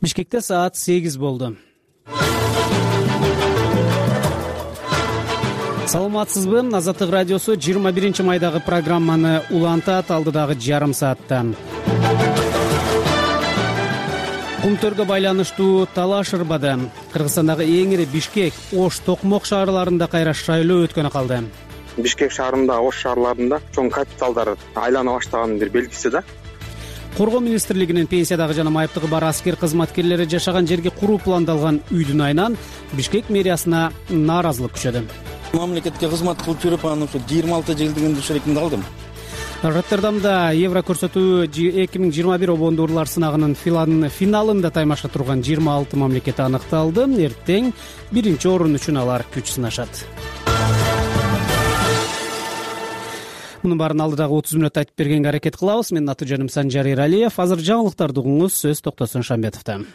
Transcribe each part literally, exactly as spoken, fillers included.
Бишкекте саат сегиз болду. Саламатсызбы? Азаттык радиосу жыйырма биринчи майдагы программаны улантат. Алдыдагы жарым саатта Кумтөргө байланыштуу талаш ырбады. Кыргызстандагы эң ири Бишкек, Ош, Токмок шаарларында кайра шайлоо өткөнү калды. Бишкек шаарында, Ош шаарларында чоң капиталдар айлана баштаганын бир белгиси да. Коргоо министрлигинин пенсиядагы жана майыптыгы бар аскер кызматкерлери жашаган жерге куруу пландалган үйдүн айынан Бишкек мэриясына нааразылык күчөдү. Мамлекетке кызмат кылып жүрүп, анан ушу жыйырма алты жылдыгын ушерекинде алдым. Роттердамда Евро көрсөтүү эки миң жыйырма бир обондуурлар сынагынын финалында таймашка турган жыйырма алты мамлекет аныкталды. Эртең биринчи орун үчүн алар күч сынашат. Мунун баарын алдыдагы отуз мүнөттө айтып бергенге аракет кылабыз. Менин аты жөнүм Санжар Эралиев. Азыр жаңылыктарды угуңуз. Сөз Токтосун Шамбетовдон.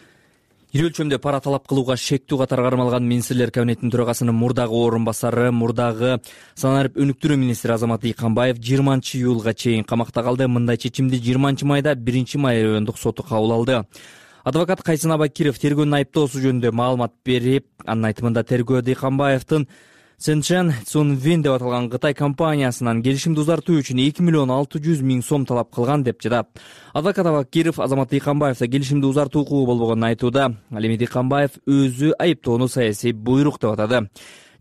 Ири өлчөмдө пара талап кылууга шектүү катары кармалган министрлер кабинетинин төрагасынын мурдагы орун басары, мурдагы санарип өнүктүрүү министри Азамат Дыйканбаев жыйырманчы июлга чейин камакта калды. Мындай чечимди жыйырманчы майда биринчи май райондук соту кабыл алды. Адвокат Кайсын Абакиров тергөөнүн айыптоосу жөнүндө маалымат берип, анын айтымында тергөө Дыйканбаевдин Сенчен Цунвин деп аталган Кытай компаниясынан келишимди узартуу үчүн эки миллион алты жүз миң сом талап кылган деп жатат. Адвокат Абакиров Азамат Дыйканбаевда келишимди узартуу укугу болбогонун айтууда. Ал эми Дыйканбаев өзү айыптоону саясий буйрук деп атады.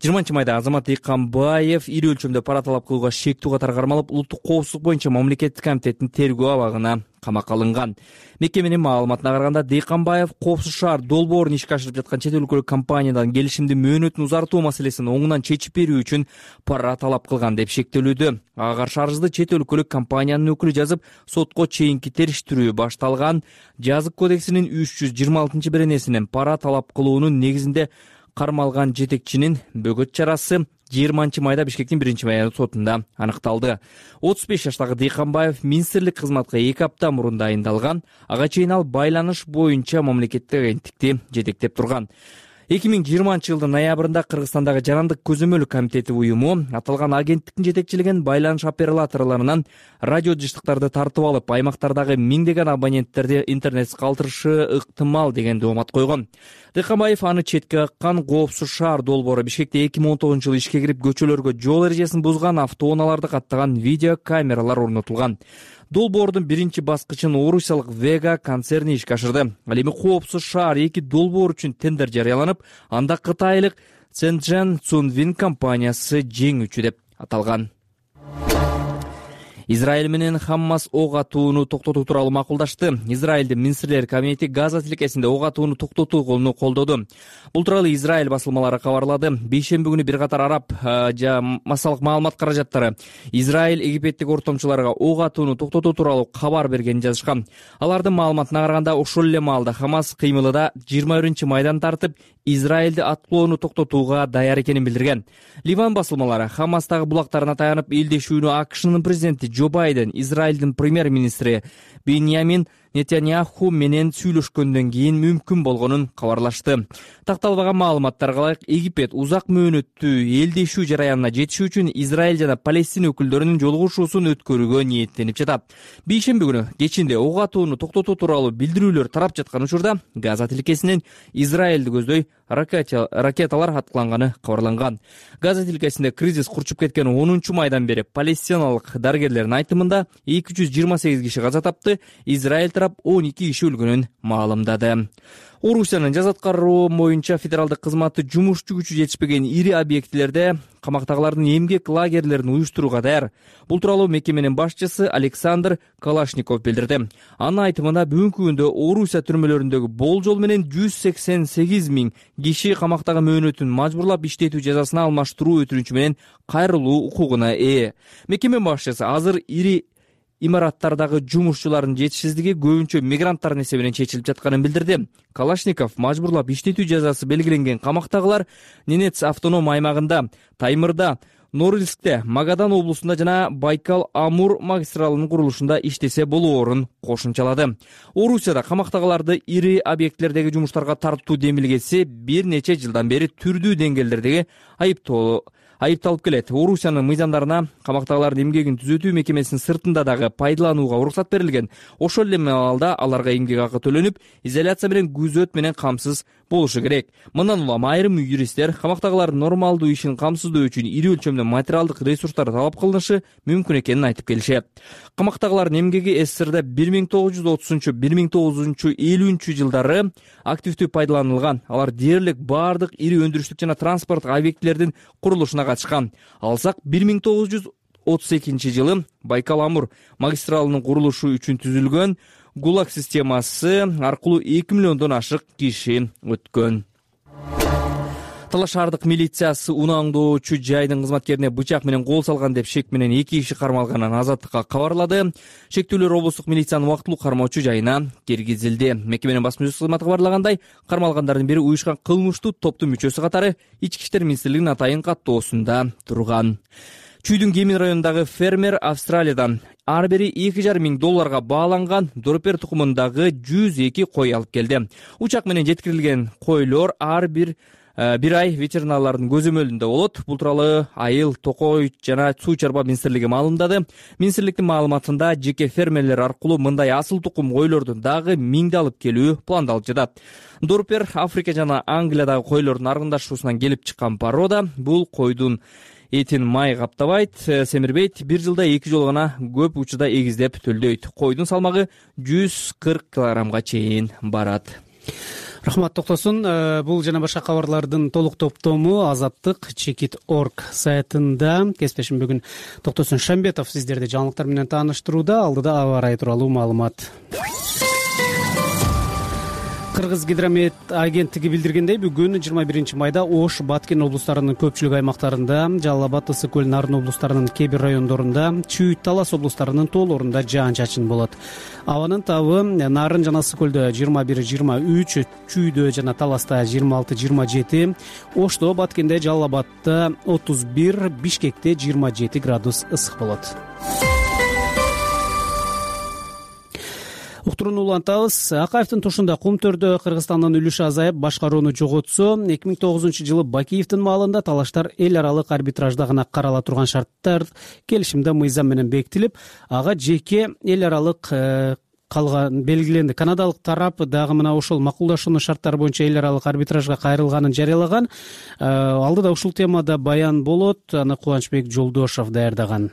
жыйырманчы майда Азамат Дыйканбаев ири өлчөмдө пара талап кылууга шектүү катары кармалып, улуттук коопсуздук боюнча мамлекеттик комитеттин тергөө абагына камакка алынган. Мекеменин маалыматына караганда, Дыйканбаев Коопсуз шаар долбоорун ишке ашырып жаткан чет өлкөлүк компаниядан келишимди мөөнөтүн узартуу маселесин оңунан чечип берүү үчүн пара талап кылган деп шектелүүдө. Ага каршы арызды чет өлкөлүк компаниянын өкүлү жазып, сотко чейинки териштирүү башталган. Жазык кодексинин үч жүз жыйырма алтынчы беренесинен пара талап кылуунун негизинде кармалган жетекчинин бөгөт чарасы жыйырманчы майда Бишкектин биринчи майра сотунда аныкталды. отуз беш жаштагы Дыйканбаев министрлик кызматка эки апта мурун дайындалган. Ага чейин ал байланыш боюнча мамлекеттик агенттикти жетектеп турган. эки миң жыйырманчы жылдын ноябрында Кыргызстандагы Жарандык көзөмөл комитети уюму аталган агенттиктин жетекчилеген байланыш операторлорунан радио жыштыктарды тартып алып, аймактардагы миңдеген абоненттерди интернетсиз калтырышы ыктымал деген доомат койгон. Дыйканбаев аны четке каккан Коопсуз шаар долбоору Бишкекте эки миң он тогузунчу жылы ишке кирип, көчөлөргө жол эрежесин бузган автоунааларды каттаган видео камералар орнотулган. Долбоордун биринчи баскычын орусиялык Вега концерни ишке ашырды. Ал эми Коопсуз шаар эки долбоор үчүн тендер жарыяланып, анда кытайлык Сенчен Цунвин компаниясы жеңүүчү деп аталган. Израиль менен Хаммас ок атууну токтотуу тууралуу макулдашты. Израилдин министрлер кабинети Газа тилкесинде ок атууну токтотуу колуну колдоду. Бул тууралуу Израиль басылмалары кабарлады. Бейшемби күнү бир катар араб жана массалык маалымат каражаттары Израиль египеттик ортомчуларга ок атууну токтотуу тууралуу кабар бергенин жазышкан. Алардын маалыматына караганда, ошол эле маалда Хамас кыймылы да жыйырма биринчи майдан тартып Израилди аткылоону токтотууга даяр экенин билдирген. Ливан басылмалары Хамастагы булактарына таянып, элдешүүнү АКШнын президенти Джо Байден, Израилдин премьер-министри Беньямин Нетаньяху менен сүйлөшкөндөн кийин мүмкүн болгонун кабарлашты. Такталбаган маалыматтарга ылайык, Египет узак мөөнөттүү элдешүү жараянына жетишүү үчүн Израиль жана Палестина өкүлдөрүнүн жолугушуусун өткөрүүгө ниеттенип жатат. Бейшемби күнү кечинде ок атууну токтотуу тууралуу билдирүүлөр тарап жаткан учурда Газа тилкесинен Израилди көздөй ракеталар аткыланганы кабарланган. Газа тилкесинде кризис курчуп кеткен онунчу майдан бери палестиналык дарыгерлердин айтымында эки жүз жыйырма сегиз киши каза тапты, Израиль тарап он эки киши өлгөнүн маалымдады. Орусиянын жаза аткаруу боюнча федералдык кызматы жумушчу күчү жетишпеген ири объектилерде камактагылардын эмгек лагерлерин уюштурууга даяр. Бул тууралуу мекеменин башчысы Александр Калашников билдирди. Анын айтымында, бүгүнкү күндө Орусия түрмөлөрүндөгү болжол менен жүз сексен сегиз миң киши камактагы мөөнөтүн мажбурлап иштетүү жазасына алмаштыруу өтүнүчү менен кайрылуу укугуна ээ. Мекеме башчысы азыр ири имараттардагы жумушчулардын жетишсиздиги көбүнчө мигранттардын эсебинен чечилип жатканын билдирди. Калашников мажбурлап иштетүү жазасы белгиленген камактагылар Ненец автоном аймагында, Таймырда, Норильскте, Магадан облусунда жана Байкал-Амур магистралынын курулушунда иштесе болоорун кошумчалады. Орусияда камактагыларды ири объектлердеги жумуштарга тартуу демилгеси бир нече жылдан бери түрдүү деңгээлдердеги айыптоо айыпталып келет. Орусиянын мыйзамдарына камактагылардын эмгегин түзөтүү мекемесинин сыртында дагы пайдаланууга уруксат берилген. Ошол эле маалда аларга эмгек акы төлөнүп, изоляция менен күзөт менен камсыз болушу керек. Мындан улам айрым юристтер камактагылардын нормалдуу ишин камсыздоо үчүн ири өлчөмдө материалдык ресурстар талап кылынышы мүмкүн экенин айтып келишет. Камактагылардын эмгеги СССРда бир миң тогуз жүз отузунчу бир миң тогуз жүз элүүнчү жылдары активдүү пайдаланылган. Алар дээрлик бардык ири өндүрүштүк жана транспорттук объектилердин курулушуна катышкан. Алсак бир миң тогуз жүз отуз экинчи жылы Байкал-Амур магистралынын курулушу үчүн түзүлгөн ГУЛАГ системасы аркылуу эки миллиондон ашык киши өткөн. Талаш шаардык милициясы унааңдоочу жайдын кызматкерине бычак менен кол салган деп шек менен эки киши кармалганын Азаттыкка кабарлады. Шектүүлөр облустук милициянын убактылуу кармоочу жайына киргизилди. Мекеменин басма сөз кызматы кабарлагандай, кармалгандардын бири уюшкан кылмыштуу топтун мүчөсү катары Ички иштер министрлигинин атайын каттоосунда турган. Чүйдүн Кемин районундагы фермер Австралиядан ар бири эки жарым миң долларга бааланган Дорпер тукумундагы жүз эки кой алып келди. Учак менен жеткирилген койлор ар бир бир ай ветеринарлардын көзөмөлүндө болот. Бул тууралуу Айыл, Токой жана Суу чарба министрлиги маалымдады. Министрликтин маалыматында жеке фермерлер аркылуу мындай асыл тукум койлордун дагы миңди алып келүү пландалып жатат. Дорпер Африка жана Англиядагы койлордун аргындашуусунан келип чыккан порода. Бул койдун этин май каптабайт, семирбейт, бир жылда эки жолу гана көп учурда эгиздеп төлдөйт. Койдун салмагы жүз кырк килограммга чейин барат. Рахмат, токтосун. Бул жана башка кабарлардын толук топтому Азаттык чекит точка орг сайтында. Кесиптешим бүгүн Токтосун Шамбетов сиздерди жаңылыктар менен тааныштырууда. Алдыда аба ырайы тууралуу маалымат. Кыргыз гидромет агенттиги билдиргендей, бүгүн жыйырма биринчи майда Ош, Баткен облустарынын көпчүлүк аймактарында, Жалал Абад, Ысык көл, Нарын облустарынын кээ бир райондорунда, Чүй, Талас облустарынын тоолорунда жаан-чачын болот. Абанын табы Нарын жана Ысык көлдө жыйырма бир жыйырма үч, Чүйдө жана Таласта жыйырма алты жыйырма жети, Ошто, Баткенде, Жалал Абадта отуз бир, Бишкекте жыйырма жети градус ысык болот. Уктурууну улантабыз. Акаевдин тушунда Кум-Төрдө Кыргызстандын үлүшү азайып, башкарууну жоготсо, эки миң тогузунчу жылы Бакиевдин маалында талаштар эл аралык арбитражда гана карала турган шарттар келишимде мыйзам менен бекитилип, ага жеке эл аралык калган белгиленди. Канадалык тарап дагы мына ошол макулдашуунун шарттары боюнча эл аралык арбитражга кайрылганын жарыялаган. Алдыда ушул темада баян болот. Аны Кубанычбек Жолдошов даярдаган.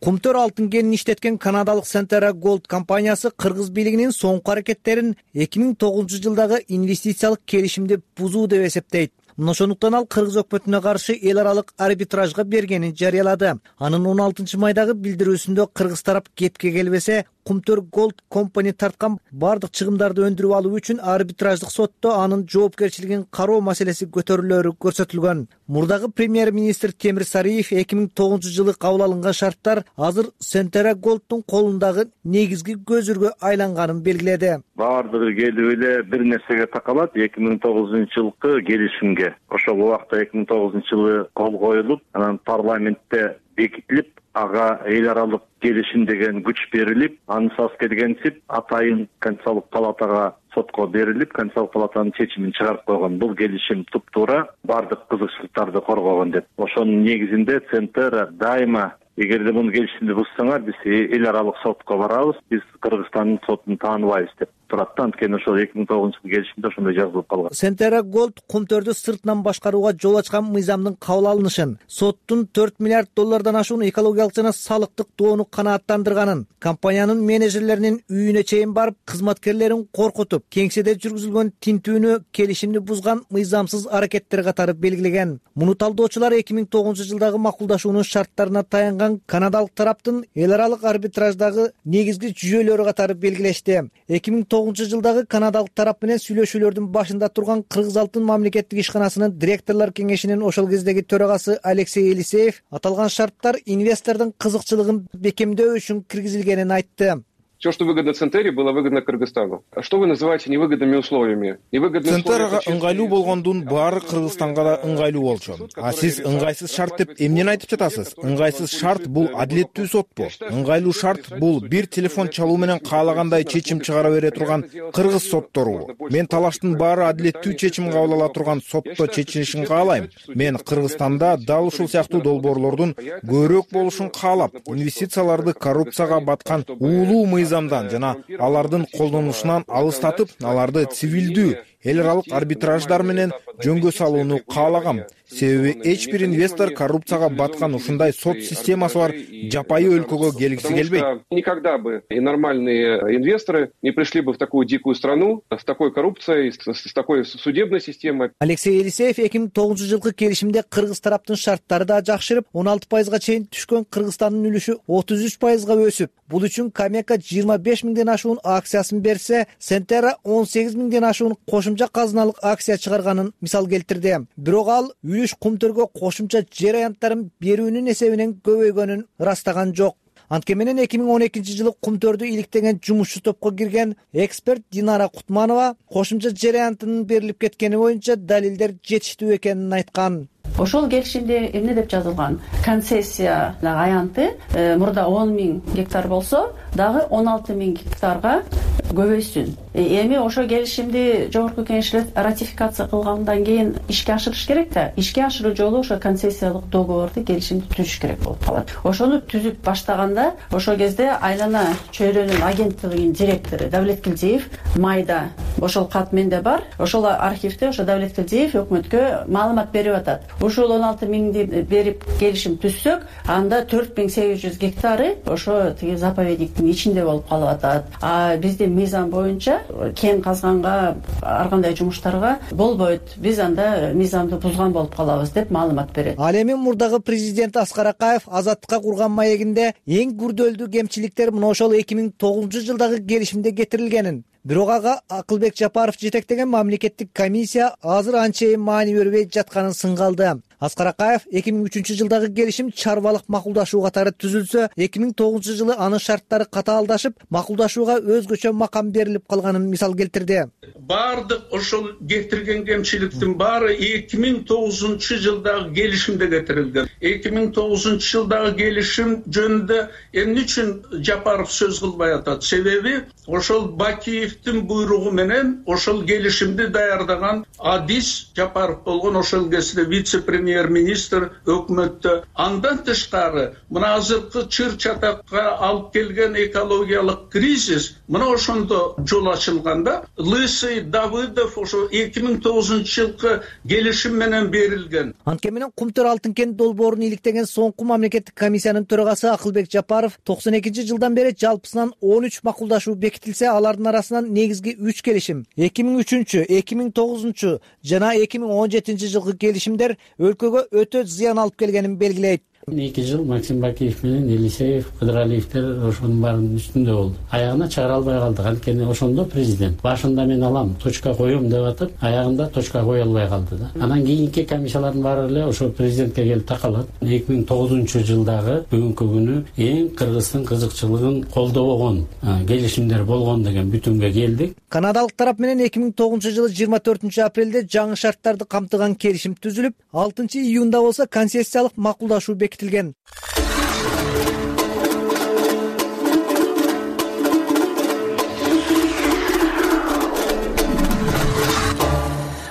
Кум-Төр алтын кенин иштеткен канадалык Centera Gold компаниясы кыргыз бийлигинин соңку аракеттерин эки миң тогузунчу жылдагы инвестициялык келишимди бузуу деп эсептейт. Мына ошондуктан ал кыргыз өкмөтүнө каршы эл аралык арбитражга бергенин жарыялады. Анын он алтынчы майдагы билдирүүсүндө кыргыз тарап кепке келбесе, Кум-Төр Gold компания тарткан бардык чыгымдарды өндүрүп алуу үчүн арбитраждык сотто анын жоопкерчилигин кароо маселеси көтөрүлөрү көрсөтүлгөн. Мурдагы премьер-министр Темир Сариев эки миң тогузунчу жылы кабыл алынган шарттар азыр Centera Gold'тун колундагы негизги көзүргө айланганын белгиледи. Баардыгы келип эле бир нерсеге такалат, эки миң тогузунчу жылкы келишимге. Ошол убакта эки миң тогузунчу жылы кол коюлуп, анан парламентте бекитилип, ага эл аралык келишим деген күч берилип, ансыз келгенсип атайын Конституциялык палатага сотко берилип, Конституциялык палатанын чечимин чыгарып койгон. Бул келишим туп-туура бардык кызыкчылыктарды коргогон деп. Ошонун негизинде Centera дайыма эгерде муну келишимди бузсаңар, биз эл аралык сотко барабыз, биз Кыргызстандын сотун тааныбайбыз деп турат. Анткени ошол эки миң тогузунчу жылы келишимде ошондой жазылып калган. Centera Gold Кум-Төрдү сыртынан башкарууга жол ачкан мыйзамдын кабыл алынышын, соттун төрт миллиард доллардан ашуун экологиялык жана салыктык доону канааттандырганын, компаниянын менеджерлеринин үйүнө чейин барып, кызматкерлерин коркутуп, кеңседе жүргүзүлгөн тинтүүнү келишимди бузган мыйзамсыз аракеттер катары белгилеген. Муну талдоочулар эки миң тогузунчу жылдагы макулдашуунун шарттарына таянган канадалык тараптын эл аралык арбитраждагы негизги жүйөлөрү катары белгилешти. эки миң тогузунчу жылдагы канадалык тарап менен сүйлөшүүлөрдүн башында турган Кыргыз алтын мамлекеттик ишканасынын директорлор кеңешинин ошол кездеги төрагасы Алексей Елисеев аталган шарттар инвестордун кызыкчылыгын бекемдөө үчүн киргизилгенин айтты. все, что выгодно Центере, было выгодно Кыргызстану. А что вы называете невыгодными условиями? Невыгодные Центерага ыңгайлуу болгондун баары Кыргызстанга да ыңгайлуу болчу. А сиз ыңгайсыз шарт деп эмнени айтып жатасыз? Ыңгайсыз шарт бул адилеттүү сотпу? Ыңгайлуу шарт бул бир телефон чалуу менен каалагандай чечим чыгара бере турган кыргыз соттору. Мен талаштын баары адилеттүү чечим кабыл ала турган сотто чечилишин каалайм. Мен Кыргызстанда дал ушул сыяктуу долбоорлордун көбүрөөк болушун каалап, инвестицияларды коррупцияга баткан уулуу мыйзамдан жана алардын колдонушунан алыстатып, аларды цивилдүү эл аралык арбитраждар менен жөнгө салууну каалагам. Себеби эч бир инвестор коррупцияга баткан ушундай сот системасы бар жапайы өлкөгө келгиси келбейт. Никогда бы и нормальные инвесторы не пришли бы в такую дикую страну с такой коррупцией, с такой судебной системой. Алексей Елисеев эки миң тогузунчу жылкы келишимде кыргыз тараптын шарттары да жакшырып, он алты пайызга чейин түшкөн Кыргызстандын үлүшү отуз үч пайызга өсүп, бул үчүн Камека жыйырма беш миңден ашуун акциясын берсе, Сентера он сегиз миңден ашуун кошумча казыналык акция чыгарганын мисал келтирди. Бирок ал үлүш кумтөргө кошумча жер аянттарын берүүнүн эсебинен көбөйгөнүн ырастаган жок. Анткени менен эки миң он экинчи жылы кумтөрдү иликтеген жумушчу топко кирген эксперт Динара Кутманова кошумча жер аянтынын берилип кеткени боюнча далилдер жетиштүү экенин айткан. Ошол келишимде эмне деп жазылган? Концессия аянты мурда он миң гектар болсо, дагы он алты миң гектарга көбөйсүн. Эми ошо келишимди жогорку кеңеш ратификация кылгандан кийин ишке ашырыш керек да. Ишке ашыруу жолу ошо концессиялык договорду, келишимди түзүш керек болуп калат. Ошону түзүп баштаганда, ошол кезде Айлана чөйрөнүн агенттигинин директору Давлет Килдиев майда ошол кат менде бар. Ошол архивде ошо Давлет Килдиев өкмөткө маалымат берип атат. Ушул он алты миңди берип келишим түзсөк, анда төрт миң сегиз жүз гектары ошо тиги заповедниктин ичинде болуп калып атат. А биздин мыйзам боюнча кен казганга, ар кандай жумуштарга болбойт. Биз анда мыйзамды бузган болуп калабыз деп маалымат берет. Ал эми мурдагы президент Аскар Акаев Азаттыкка курган маегинде эң күрдөлдүү кемчиликтер мына ошол эки миң тогузунчу жылдагы келишимде кетирилгенин, бирок ага Акылбек Жапаров жетектеген мамлекеттик комиссия азыр анчейин маани бербей жатканын сынгалды. Аскар Акаев эки миң үчүнчү жылдагы келишим чарбалык макулдашуу катары түзүлсө, эки миң тогузунчу жылы анын шарттары катаалдашып, макулдашууга өзгөчө макам берилип калганын мисал келтирди. Бардык ошол кетирген кемчиликтин баары эки миң тогузунчу жылдагы келишимде кетирилген. эки миң тогузунчу жылдагы келишим жөнүндө эмне үчүн Жапаров сөз кылбай атат? Себеби ошол Бакиевдин буйругу менен ошол келишимди даярдаган Адис Жапаров болгон, ошол кезде вице-премьер-министр өкмөттө. Андан тышкары мына азыркы чыр чатакка алып келген экологиялык кризис мына ошондо жол ачылганда Лысый, Давыдов ошо эки миң тогузунчу жылкы келишим менен берилген. Анткени менен Кумтөр алтын кен долбоорун иликтеген соңку мамлекеттик комиссиянын төрагасы Акылбек Жапаров токсон экинчи жылдан бери жалпысынан он үч макулдашуу бекитилсе, алардын арасынан негизги үч келишим эки миң үчүнчү, эки миң тогузунчу жана эки миң он жетинчи жылкы келишимдер өлкөгө өтө зыян алып келгенин белгилейт. эки жыл Максим Бакиев менен Елисеев, Кыдыралиевдер ошонун баарынын үстүндө болду. Аягына чыгара албай калдык. Анткени ошондо президент башында мен алам, точка коем деп атып, аягында точка кое албай калды да. Анан кийинки комиссиялардын баары эле ошо президентке келип такалат. эки миң тогузунчу жылдагы бүгүнкү күнү эң Кыргыздын кызыкчылыгын колдобогон келишимдер болгон деген бүтүмгө келдик. Канадалык тарап менен эки миң тогузунчу жылы жыйырма төртүнчү апрелде жаңы шарттарды камтыган келишим түзүлүп, алтынчы июнда болсо концессиялык макулдашуу бекитилген.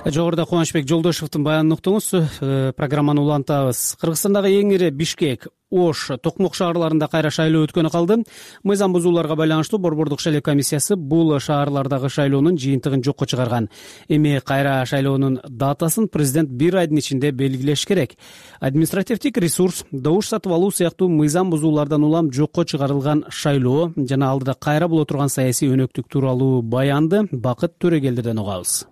Жогоруда Кубанычбек Жолдошевдун баянын уктуңуз. Программаны улантабыз. Кыргызстандагы эң ири Бишкек, Ош, Токмок шаарларында кайра шайлоо өткөнү калды. Мыйзам бузууларга байланыштуу Борбордук шайлоо комиссиясы бул шаарлардагы шайлоонун жыйынтыгын жокко чыгарган. Эми кайра шайлоонун датасын президент бир айдын ичинде белгилеш керек. Административдик ресурс, добуш сатып алуу сыяктуу мыйзам бузуулардан улам жокко чыгарылган шайлоо жана алдыда кайра боло турган саясий өнөктүк тууралуу баянды Бакыт Төрөгелдиден угабыз.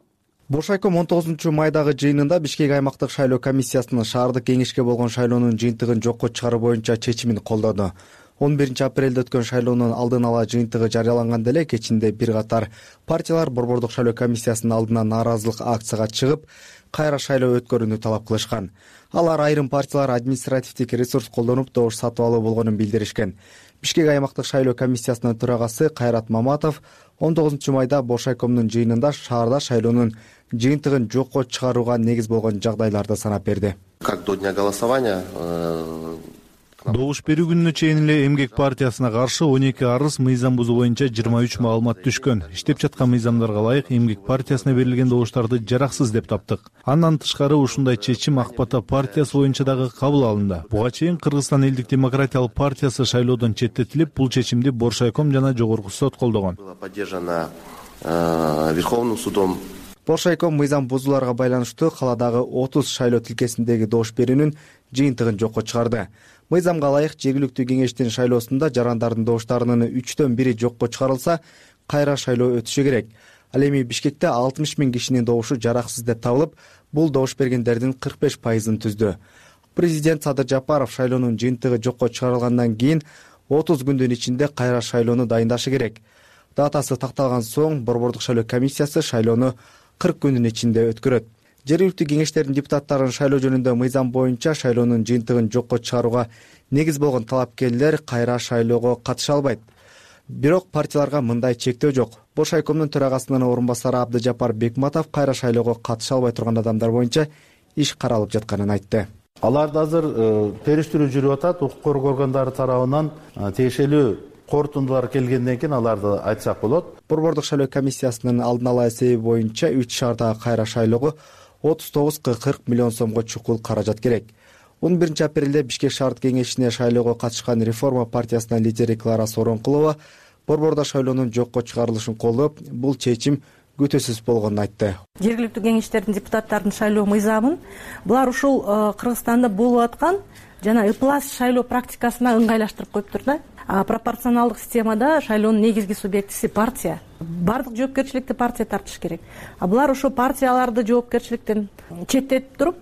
Боршайком он тогузунчу майдагы жыйынында Бишкек аймактык шайлоо комиссиясынын шаардык кеңешке болгон шайлоонун жыйынтыгын жокко чыгаруу боюнча чечимин колдоду. он биринчи апрелде өткөн шайлоонун алдын ала жыйынтыгы жарыяланганда эле кечинде бир катар партиялар Борбордук шайлоо комиссиясынын алдына нааразылык акцияга чыгып, кайра шайлоо өткөрүүнү талап кылышкан. Алар айрым партиялар административдик ресурс колдонуп добуш сатып алуу болгонун билдиришкен. Бишкек аймактык шайлоо комиссиясынын төрагасы Кайрат Маматов он тогузунчу майда Боршайкомдун жыйынында шаарда шайлоонун жыйынтыгын жокко чыгарууга негиз болгон жагдайларды санап берди. Как до дня голосования добуш берүү күнүнө чейин эле Эмгек партиясына каршы он эки арыз мыйзам бузуу боюнча жыйырма үч маалымат түшкөн. Иштеп жаткан мыйзамдарга ылайык Эмгек партиясына берилген добуштарды жараксыз деп таптык. Андан тышкары ушундай чечим Ак Бата партиясы боюнча дагы кабыл алынды. Буга чейин Кыргызстан элдик демократиялык партиясы шайлоодон четтетилип, бул чечимди Боршайком жана жогорку сот колдогон. Была поддержана Верховным судом. Боршайком мыйзам бузууларга байланыштуу каладагы отуз шайлоо тилкесиндеги добуш берүүнүн жыйынтыгын жокко чыгарды. Мыйзамга ылайык жергиликтүү кеңештин шайлоосунда жарандардын добуштарынын үчтөн бири жокко чыгарылса, кайра шайлоо өтүшү керек. Ал эми Бишкекте алтымыш миң кишинин добушу жараксыз деп табылып, бул добуш бергендердин кырк беш пайызын түздү. Президент Садыр Жапаров шайлоонун жыйынтыгы жокко чыгарылгандан кийин отуз күндүн ичинде кайра шайлоону дайындашы керек. Датасы такталган соң Борбордук шайлоо комиссиясы шайлоону кырк күндүн ичинде өткөрөт. Жергиликтүү кеңештердин депутаттарын шайлоо жөнүндө мыйзам боюнча шайлоонун жыйынтыгын жокко чыгарууга негиз болгон талапкерлер кайра шайлоого катыша албайт. Бирок партияларга мындай чектөө жок. Боршайкомдун төрагасынын орун басары Абдыжапар Бекматов кайра шайлоого катыша албай турган адамдар боюнча иш каралып жатканын айтты. Аларда азыр териштирүү жүрүп атат, укук коргоо органдары тарабынан тиешелүү корутундулар келгенден кийин аларды айтсак болот. Борбордук шайлоо комиссиясынын алдын ала эсеби боюнча үч шаардагы кайра шайлоого отуз тогуз кырк миллион сомго чукул каражат керек. он биринчи апрелде Бишкек шаардык кеңешине шайлоого катышкан Реформа партиясынын лидери Клара Сооронкулова борбордо шайлоонун жокко чыгарылышын колдоп, бул чечим күтүүсүз болгонун айтты. Жергиликтүү кеңештердин депутаттардын шайлоо мыйзамын булар ушул Кыргызстанда болуп аткан жана ыплас шайлоо практикасына ыңгайлаштырып коюптур да. Пропорционалдык системада шайлоонун негизги субъектиси партия. Бардык жоопкерчиликти партия тартыш керек. А булар ошо партияларды жоопкерчиликтен четтетип туруп,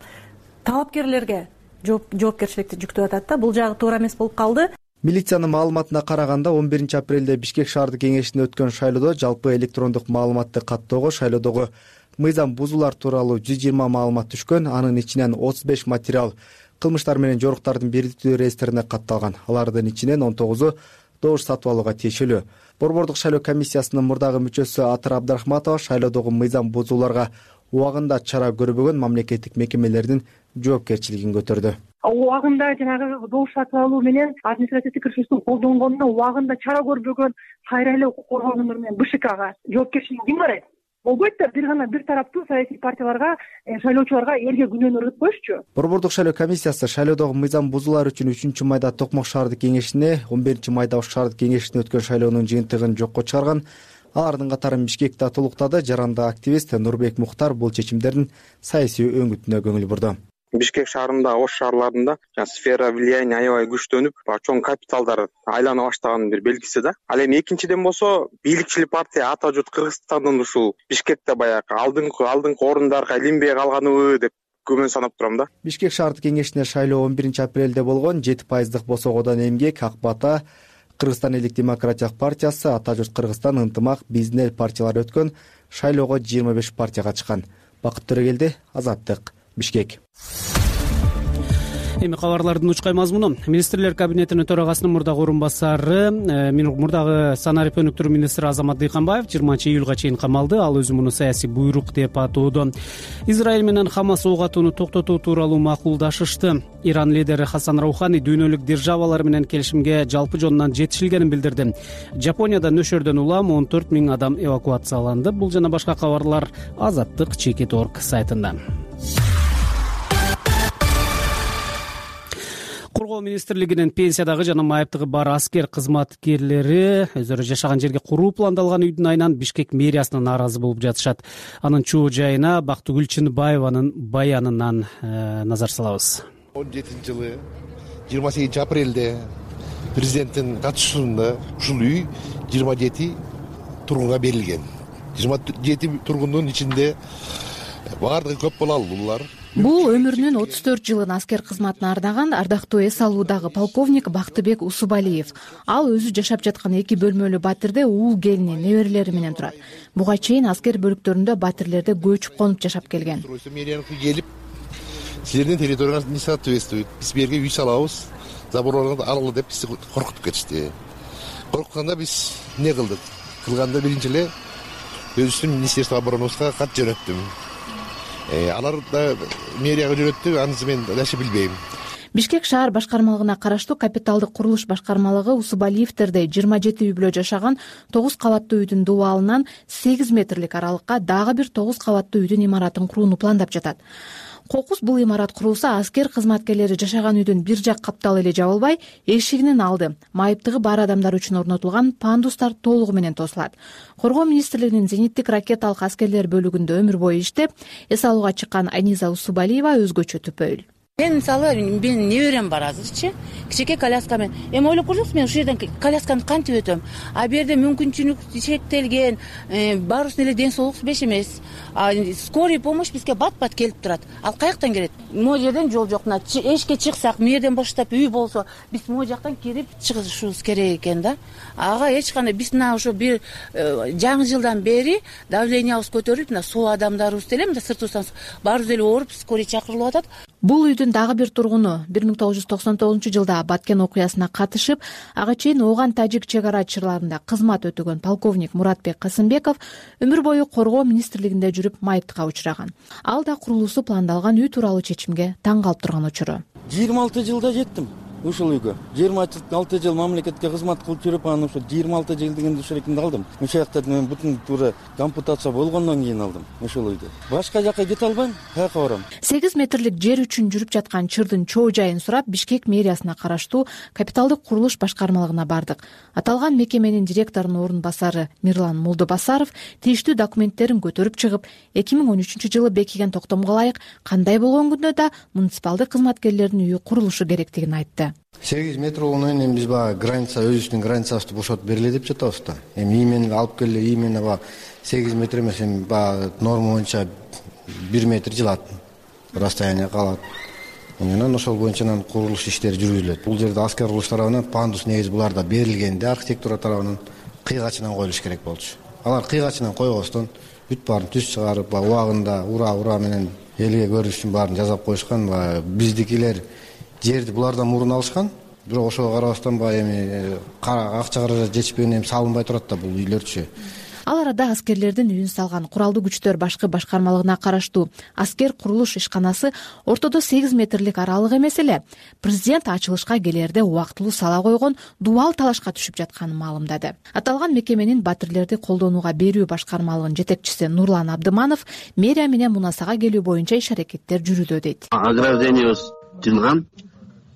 талапкерлерге жоопкерчиликти жүктөп атат да. Бул жагы туура эмес болуп калды. Милициянын маалыматына караганда он биринчи апрелде Бишкек шаардык кеңешинде өткөн шайлоодо жалпы электрондук маалыматты каттоого шайлоодогу мыйзам бузуулар тууралуу жүз жыйырма маалымат түшкөн, анын ичинен отуз беш материал кылмыштар менен жоруктардын бирдиктүү реестрине катталган. Алардын ичинен он тогузу добуш сатып алууга тиешелүү. Борбордук шайлоо комиссиясынын мурдагы мүчөсү Атыр Абдрахматова шайлоодогу мыйзам бузууларга убагында чара көрбөгөн мамлекеттик мекемелердин жоопкерчилигин көтөрдү. Убагында жанагы добуш сатып алуу менен административдик ресурстун колдонгонуна убагында чара көрбөгөн кайра эле укук коргоо органдары менен Б Ш Кга жоопкерчилик ким карайт? Болбойт да, бир гана бир тараптуу саясий партияларга, шайлоочуларга элге күнөөнү өргөтүп коюшчу. Борбордук шайлоо комиссиясы шайлоодогу мыйзам бузуулар үчүн үчүнчү майда Токмок шаардык кеңешине, он биринчи майда Ош шаардык кеңешине өткөн шайлоонун жыйынтыгын жокко чыгарган. Алардын катарын Бишкекте толуктады. Жаранды активист Нурбек Мухтар бул чечимдердин саясий өңүтүнө көңүл бурду. Бишкек шаарында, Ош шаарларында сфера влияния аябай күчтөнүп, чоң капиталдар айлана баштаганын бир белгиси да. Ал эми экинчиден болсо, бийликчил партия ата журт Кыргызстандын ушул Бишкекте баягы алдыңкы алдыңкы орундарга илинбей калганыбы деп күмөн санап турам да. Бишкек шаардык кеңешине шайлоо он биринчи апрелде болгон. жети пайыздык босогодон Эмгек, Ак Бата, Кыргызстан элдик демократиялык партиясы, Ата журт Кыргызстан, Ынтымак, Биздин эл партиялары өткөн. Шайлоого жыйырма беш партия катышкан. Бакыт Төрөгелди, Азаттык, Бишкек. Эми кабарлардын учкай мазмуну. Министрлер кабинетинин төрагасынын мурдагы орун басары, мурдагы санарип өнүктүрүү министри Азамат Дыйканбаев жыйырманчы июлга чейин камалды. Ал өзү муну саясий буйрук деп атоодо. Израиль менен Хамас ок атууну токтотуу тууралуу макулдашышты. Иран лидери Хасан Раухани дүйнөлүк державалар менен келишимге жалпы жонунан жетишилгенин билдирди. Жапонияда нөшөрдөн улам он төрт миң адам эвакуацияланды. Бул жана башка кабарлар Азаттык чекит точка орг сайтында. Коргоо министрлигинин пенсиядагы жана майыптыгы бар аскер кызматкерлери өздөрү жашаган жерге куруу пландалган үйдүн айынан Бишкек мэриясына нааразы болуп жатышат. Анын чоо жайына Бактыгүл Чынбаеванын баянынан э, назар салабыз. он жетинчи жылы жыйырма сегизинчи апрелде президенттин катышуусунда ушул үй жыйырма жети тургунга берилген. жыйырма жети тургундун ичинде баардыгы көп балалуулар. Бул өмүрүнүн отуз төрт жылын аскер кызматына ардаган ардактуу эс алуудагы полковник Бактыбек Усубалиев. Ал өзү жашап жаткан эки бөлмөлүү батирде уул келини, неберелери менен турат. Буга чейин аскер бөлүктөрүндө батирлерде көчүп конуп жашап келген. Мэрияга келип, силердин территорияңыз не соответствует, биз бу жерге үй салабыз, забор алалы деп бизди коркутуп кетишти. Коркутканда биз эмне кылдык? Кылганда биринчи эле өзүбүздүн министерство оборонабызга кат жөнөттүм. Алар да мэрияга жөнөттү, анысы мен даче билбейм. Бишкек шаар башкармалыгына караштуу капиталдык курулуш башкармалыгы Усубалиевтерде жыйырма жети үй бүлө жашаган тогуз кабаттуу үйдүн дубалынан сегиз метрлик аралыкка дагы бир тогуз кабаттуу үйдүн имаратын курууну пландап жатат. Кокус бул имарат курулса, аскер кызматкерлери жашаган үйдүн бир жак капталы эле жабылбай, эшигинин алды, майыптыгы бар адамдар үчүн орнотулган пандустар толугу менен тосулат. Коргоо министрлигинин зениттик ракеталык аскерлер бөлүгүндө өмүр бою иштеп, эс алууга чыккан Аниза Усубалиева өзгөчө түпөйл. Мен мисалы менин неберем бар азырчы, кичике коляска менен. Эми ойлоп көрсөңүз, мен ушул жерден колясканы кантип өтөм? А бу жерде мүмкүнчүлүк чектелген, баарыбыздын эле ден соолук беш эмес. Скорый помощь бизге бат-бат келип турат. Ал каяктан келет? Могу жерден жол жок. Мына эшикке чыксак, му жерден баштап үй болсо, биз могу жактан кирип чыгышыбыз керек экен да. Ага эч кандай биз мына ошо бир жаңы жылдан бери давлениябыз көтөрүлүп, мына соо адамдарыбыз деле мына сыртыбыздан баарыбыз эле ооруп, скорый чакырылып атат. Бул үйдүн дагы бир тургуну бир миң тогуз жүз токсон тогузунчу жылда Баткен окуясына катышып, ага чейин Оган тажик чек ара чырларында кызмат өтөгөн полковник Муратбек Касымбеков өмүр бою коргоо министрлигинде жүрүп майыптыкка учураган. Ал да курулуусу пландалган үй тууралуу чечимге таң калып турган учуру. жыйырма алты жылда жеттим ушул үйгө. жыйырма алты жыл мамлекетке кызмат кылып жүрүп, анан ушул жыйырма алты жыл дегенде ушул жерде алдым. Ушул жакта мен бүтүн туура ампутация болгондон кийин алдым ушул үйдү. Башка жака кете албайм, каяка барам? сегиз метрлик жер үчүн жүрүп жаткан чырдын чоо жайын сурап, Бишкек мэриясына караштуу капиталдык курулуш башкармалыгына бардык. Аталган мекеменин директорунун орун басары Мирлан Молдобасаров тийиштүү документтерин көтөрүп чыгып, эки миң он үчүнчү жылы бекиген токтомго ылайык кандай болгон күндө да муниципалдык кызматкерлердин үйү курулушу керектигин айтты. сегиз метр болгондон кийин эми биз баягы граница, өзүбүздүн границабызды бошотуп бергиле деп жатабыз да. Эми имени алып келе, имени баягы сегиз метр эмес, эми баягы норма боюнча бир метр жылат, расстояние калат. Анан ошол боюнча анан курулуш иштери жүргүзүлөт. Бул жерде аскер курулуш тарабынан пандус негизи буларда берилгенде архитектура тарабынан кыйгачынан коюлуш керек болчу. Алар кыйгачынан койбостон бүт баарын түз чыгарып, убагында ура-ура менен элге көрүнүш үчүн баарын жасап коюшкан. Биздикилер жерди булардан мурун алышкан, бирок ошого карабастан баягы эми акча каражат жетишпегенден салынбай турат да бул үйлөрчү. Ал арада аскерлердин үйүн салган куралдуу күчтөр башкы башкармалыгына караштуу аскер курулуш ишканасы ортодо сегиз метрлик аралык эмес эле, президент ачылышка келерде убактылуу сала койгон дубал талашка түшүп жатканын маалымдады. Аталган мекеменин батирлерди колдонууга берүү башкармалыгынын жетекчиси Нурлан Абдыманов мэрия менен мунасага келүү боюнча иш аракеттер жүрүүдө дейт. Ограждениябыз тыйылган,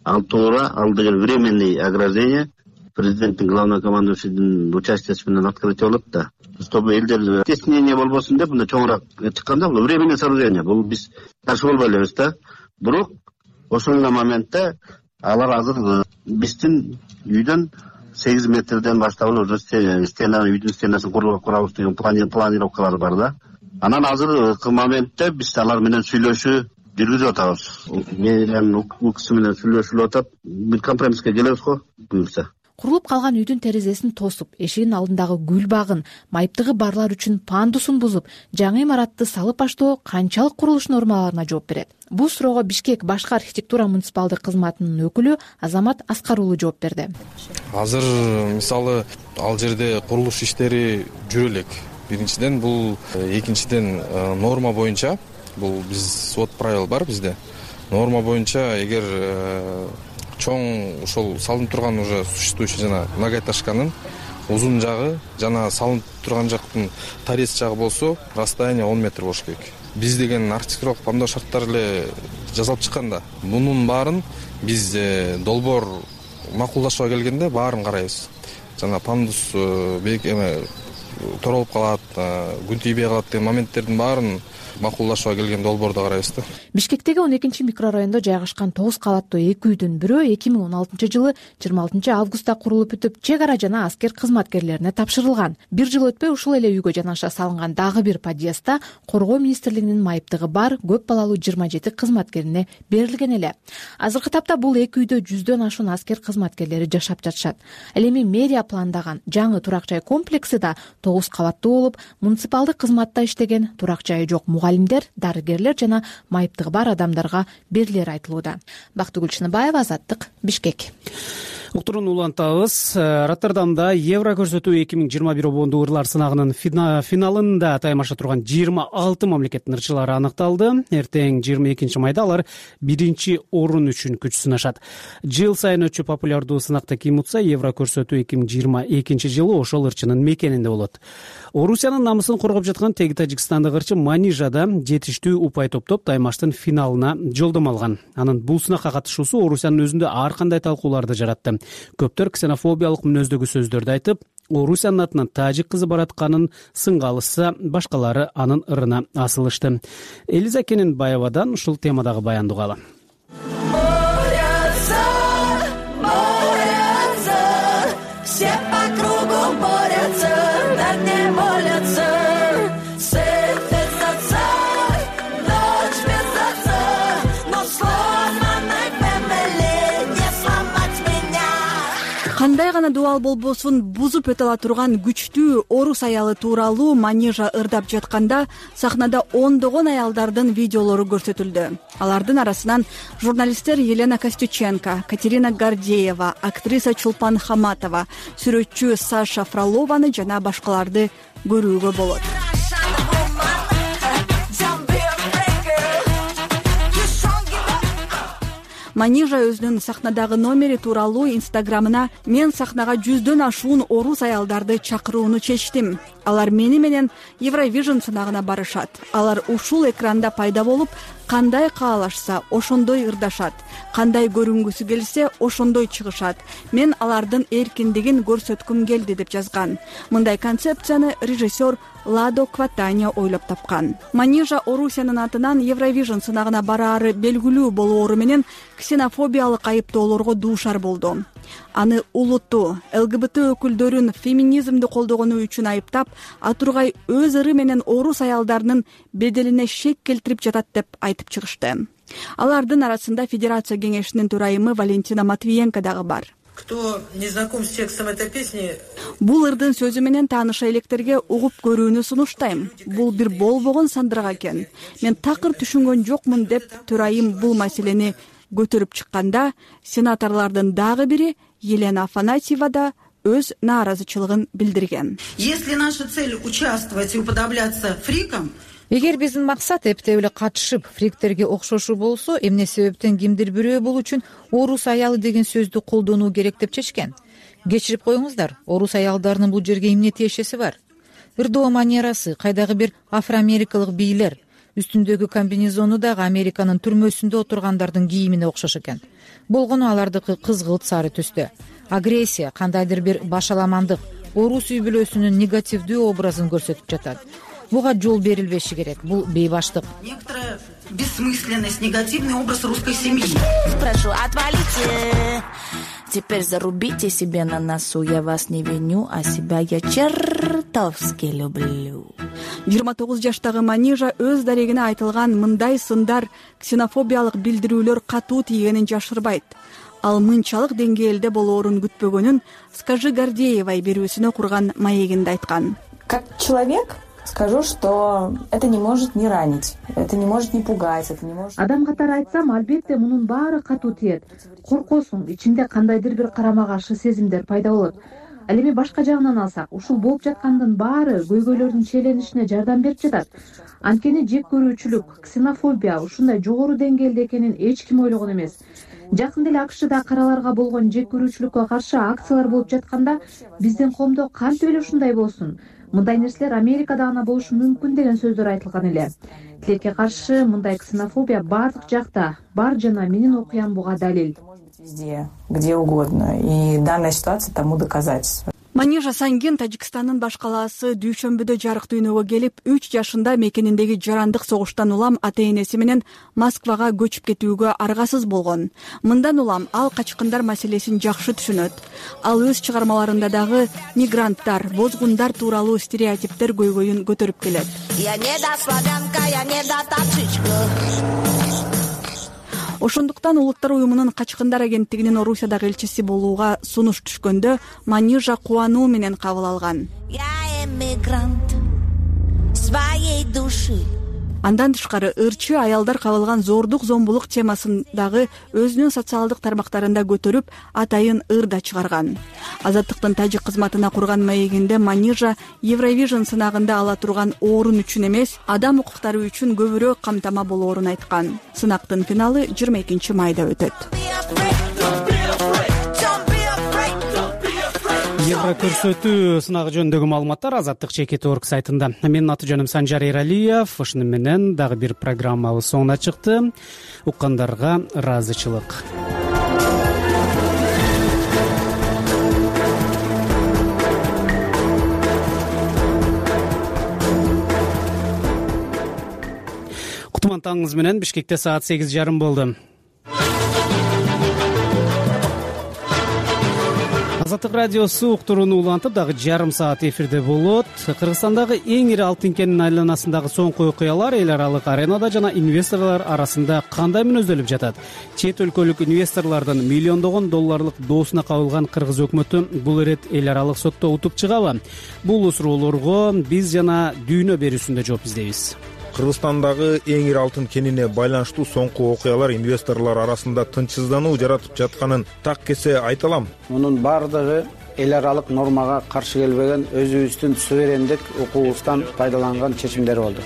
ал туура, ал деген временный ограждение. Президенттин главнокомандующийдин участиясы менен открытие болот да. Чтобы элдер стеснение болбосун деп мына чоңураак чыкканда, бул временный сооружение, бул биз каршы болбой элебиз да. Бирок ошол моментте алар азыр биздин үйдөн сегиз метрден баштап уже стена, үйдүн стенасын курабыз деген планировкалар бар да. Анан азыркы моментте биз алар менен сүйлөшүү жүргүзүп атабыз. Менин укугу менен сүйлөшүлүп атат. Бир компромисске келебиз го, буюрса. Курулуп калган үйдүн терезесин тосуп, эшигинин алдындагы гүл багын, майыптыгы барлар үчүн пандусун бузуп, жаңы имаратты салып аштоо канчалык курулуш нормаларына жооп берет? Бул суроого Бишкек башкы архитектура муниципалдык кызматынын өкүлү Азамат Аскар уулу жооп берди. Азыр мисалы ал жерде курулуш иштери жүрө элек. Биринчиден бул, экинчиден норма боюнча, бул биз свод правил бар бизде. Норма боюнча эгер чоң ошол салынып турган уже существующий жана многоэтажканын узун жагы жана салынып турган жактын торец жагы болсо расстояние он метр болуш керек. Биз деген архитектуралык пландоо шарттары эле жасалып чыкканда, мунун баарын биз долбоор макулдашууга келгенде баарын карайбыз. Жана пандус бек эме торолуп калат, күн тийбей калат деген моменттердин баарын макулдашууга келген долбоордо карайбыз да. Бишкектеги он экинчи микрорайондо жайгашкан тогуз кабаттуу эки үйдүн бирөө эки миң он алтынчы жылы жыйырма алтынчы августта курулуп бүтүп, чек ара жана аскер кызматкерлерине тапшырылган. Бир жыл өтпөй ушул эле үйгө жанаша салынган дагы бир подъездда коргоо министрлигинин майыптыгы бар көп балалуу жыйырма жети кызматкерине берилген эле. Азыркы тапта бул эки үйдө жүздөн ашуун аскер кызматкерлери жашап жатышат. Ал эми мэрия пландаган жаңы турак жай комплекси да тогуз кабаттуу болуп, муниципалдык кызматта иштеген, турак жайы жок мугалимдер, дарыгерлер жана майыптыгы бар адамдарга берилери айтылууда. Бактыгүл Чыныбаева, Азаттык, Бишкек. Уктурууну улантабыз. Роттердамда Евро көрсөтүү эки миң жыйырма бир обондуу ырлар сынагынын финалында таймаша турган жыйырма алты мамлекеттин ырчылары аныкталды. Эртең жыйырма экинчи майда алар биринчи орун үчүн күч сынашат. Жыл сайын өтчү популярдуу сынакта ким утса, Евро көрсөтүү эки миң жыйырма экинчи жылы ошол ырчынын мекенинде болот. Орусиянын намысын коргоп жаткан теги Тажикстандык ырчы Манижада жетиштүү упай топтоп таймаштын финалына жолдомо алган. Анын бул сынакка катышуусу Орусиянын өзүндө ар кандай талкууларды жаратты. Көптөр ксенофобиялык мүнөздөгү сөздөрдү айтып, Орусиянын атынан тажик кызы баратканын сынга алышса, башкалары анын ырына асылышты. Элиза Кененбаевадан ушул темадагы баянды угалы. Кандай гана дубал болбосун бузуп өтө ала турган күчтүү орус аялы тууралуу Манижа ырдап жатканда сахнада ондогон аялдардын видеолору көрсөтүлдү. Алардын арасынан журналисттер Елена Костюченко, Катерина Гордеева, актриса Чулпан Хаматова, сүрөтчү Саша Фролованы жана башкаларды көрүүгө болот. Манижа өзүнүн сахнадагы номери тууралуу инстаграмына мен сахнага жүздөн ашуун орус аялдарды чакырууну чечтим. Алар мени менен Евровижн сынагына барышат. Алар ушул экранда пайда болуп, кандай каалашса ошондой ырдашат, кандай көрүнгүсү келсе ошондой чыгышат. Мен алардын эркиндигин көрсөткүм келди деп жазган. Мындай концепцияны режиссер Ладо Кватаня ойлоп тапкан. Манижа Орусиянын атынан Евровижн сынагына бараары белгилүү болоору менен ксенофобиялык айыптоолорго дуушар болду. Аны улуттуу ЛГБТ өкүлдөрүн феминизмди колдогону үчүн айыптап, Атургай өз ыры менен орус аялдарынын беделине шек келтирип жатат деп айтып чыгышты. Алардын арасында Федерация кеңешинин төрайымы Валентина Матвиенко дагы бар. Кто не знаком с текстом этой песни? Бул ырдын сөзү менен тааныша электерге угуп көрүүнү сунуштайм. Бул бир болбогон сандырак экен. Мен такыр түшүнгөн жокмун деп төрайым бул маселени көтөрүп чыкканда, сенаторлордун дагы бири Елена Афанасьева да өз нааразычылыгын билдирген. Если наша цель участвовать и уподобляться фрикам, эгер биздин максат эптеп эле катышып фриктерге окшошуу болсо, эмне себептен кимдир бирөө бул үчүн орус аялы деген сөздү колдонуу керек деп чечкен? Кечирип коюңуздар, орус аялдарынын бул жерге эмне тиешеси бар? Ырдоо манерасы, кайдагы бир афроамерикалык бийлер, үстүндөгү комбинезону дагы Американын түрмөсүндө отургандардын кийимине окшош экен. Болгону алардыкы кызгылт сары түстө. Агрессия, кандайдыр бир башаламандык, орус үй бүлөсүнүн негативдүү образын көрсөтүп жатат. Буга жол берилбеши керек. Бул бейбаштык. Некоторая бессмысленность, негативный образ русской семьи. Прошу, отвалите. Теперь зарубите себе на носу. Я вас не виню, а себя я чертовски люблю. жыйырма тогуз жаштагы Манижа өз дарегине айтылган мындай сындар, ксенофобиялык билдирүүлөр катуу тийгенин жашырбайт. Ал мынчалык деңгээлде болоорун күтпөгөнүн Скажи Гордеевай берүүсүнө курган маегинде айткан. Как человек скажу, что это не может не ранить, это не может не пугать, это не может... Адам катары айтсам, албетте мунун баары катуу тиет. Коркосуң, ичиңде кандайдыр бир карама каршы сезимдер пайда болот. Ал эми башка жагынан алсак, ушул болуп жаткандын баары көйгөйлөрдүн чейленишине жардам берип жатат. Анткени жек көрүүчүлүк, ксенофобия ушундай жогору деңгээлде экенин эч ким ойлогон эмес. Жакында эле АКШда караларга болгон жек көрүүчүлүккө каршы акциялар болуп жатканда, биздин коомдо кантип эле ушундай болсун? Мындай нерселер Америкада гана болушу мүмкүн деген сөздөр айтылган эле. Тилекке каршы мындай ксенофобия баардык жакта бар жана менин окуям буга далил. Везде, где угодно. И данная ситуация тому доказательство. Манижа Сангин Тажикстандын баш калаасы дүйшөмбүдө жарык дүйнөгө келип, үч жашында мекениндеги жарандык согуштан улам ата-энеси менен Москвага көчүп кетүүгө аргасыз болгон. Мындан улам ал качкындар маселесин жакшы түшүнөт. Ал өз чыгармаларында дагы мигранттар, бозгундар тууралуу стереотиптер көйгөйүн көтөрүп келет. Я не да славянка, я не да тапчичка. Ошондуктан Улуттар уюмунун качкындар агенттигинин Орусиядагы элчиси болууга сунуш түшкөндө Манижа кубануу менен кабыл алган. Я эмигрант своей души. Андан тышкары ырчы аялдар кабылган зордук зомбулук темасындагы өзүнүн социалдык тармактарында көтөрүп, атайын ыр да чыгарган. Азаттыктын тажик кызматына курган маегинде Манижа Евровижн сынагында ала турган орун үчүн эмес, адам укуктары үчүн көбүрөөк камтама болоорун айткан. Сынактын финалы жыйырма экинчи майда өтөт. Евро көрсөтүү сынагы жөнүндөгү маалыматтар Азаттык чекит точка орг сайтында. Менин аты жөнүм Санжар Эралиев. Ушуну менен дагы бир программабыз соңуна чыкты. Уккандарга ыраазычылык. Кутман таңыңыз менен. Бишкекте саат сегиз жарым болду. Азаттык радиосу уктурууну улантып дагы жарым саат эфирде болот. Кыргызстандагы эң ири алтын кенинин айланасындагы соңку окуялар эл аралык аренада жана инвесторлор арасында кандай мүнөздөлүп жатат? Чет өлкөлүк инвесторлордун миллиондогон долларлык доосуна кабылган кыргыз өкмөтү бул ирет эл аралык сотто утуп чыгабы? Бул суроолорго биз жана дүйнө берүүсүндө жооп издейбиз. Кыргызстандагы эң ири алтын кенине байланыштуу соңку окуялар инвесторлор арасында тынчсыздануу жаратып жатканын так кесе айта алам. Мунун баардыгы эл аралык нормага каршы келбеген, өзүбүздүн суверендик укугубуздан пайдаланган чечимдер болду.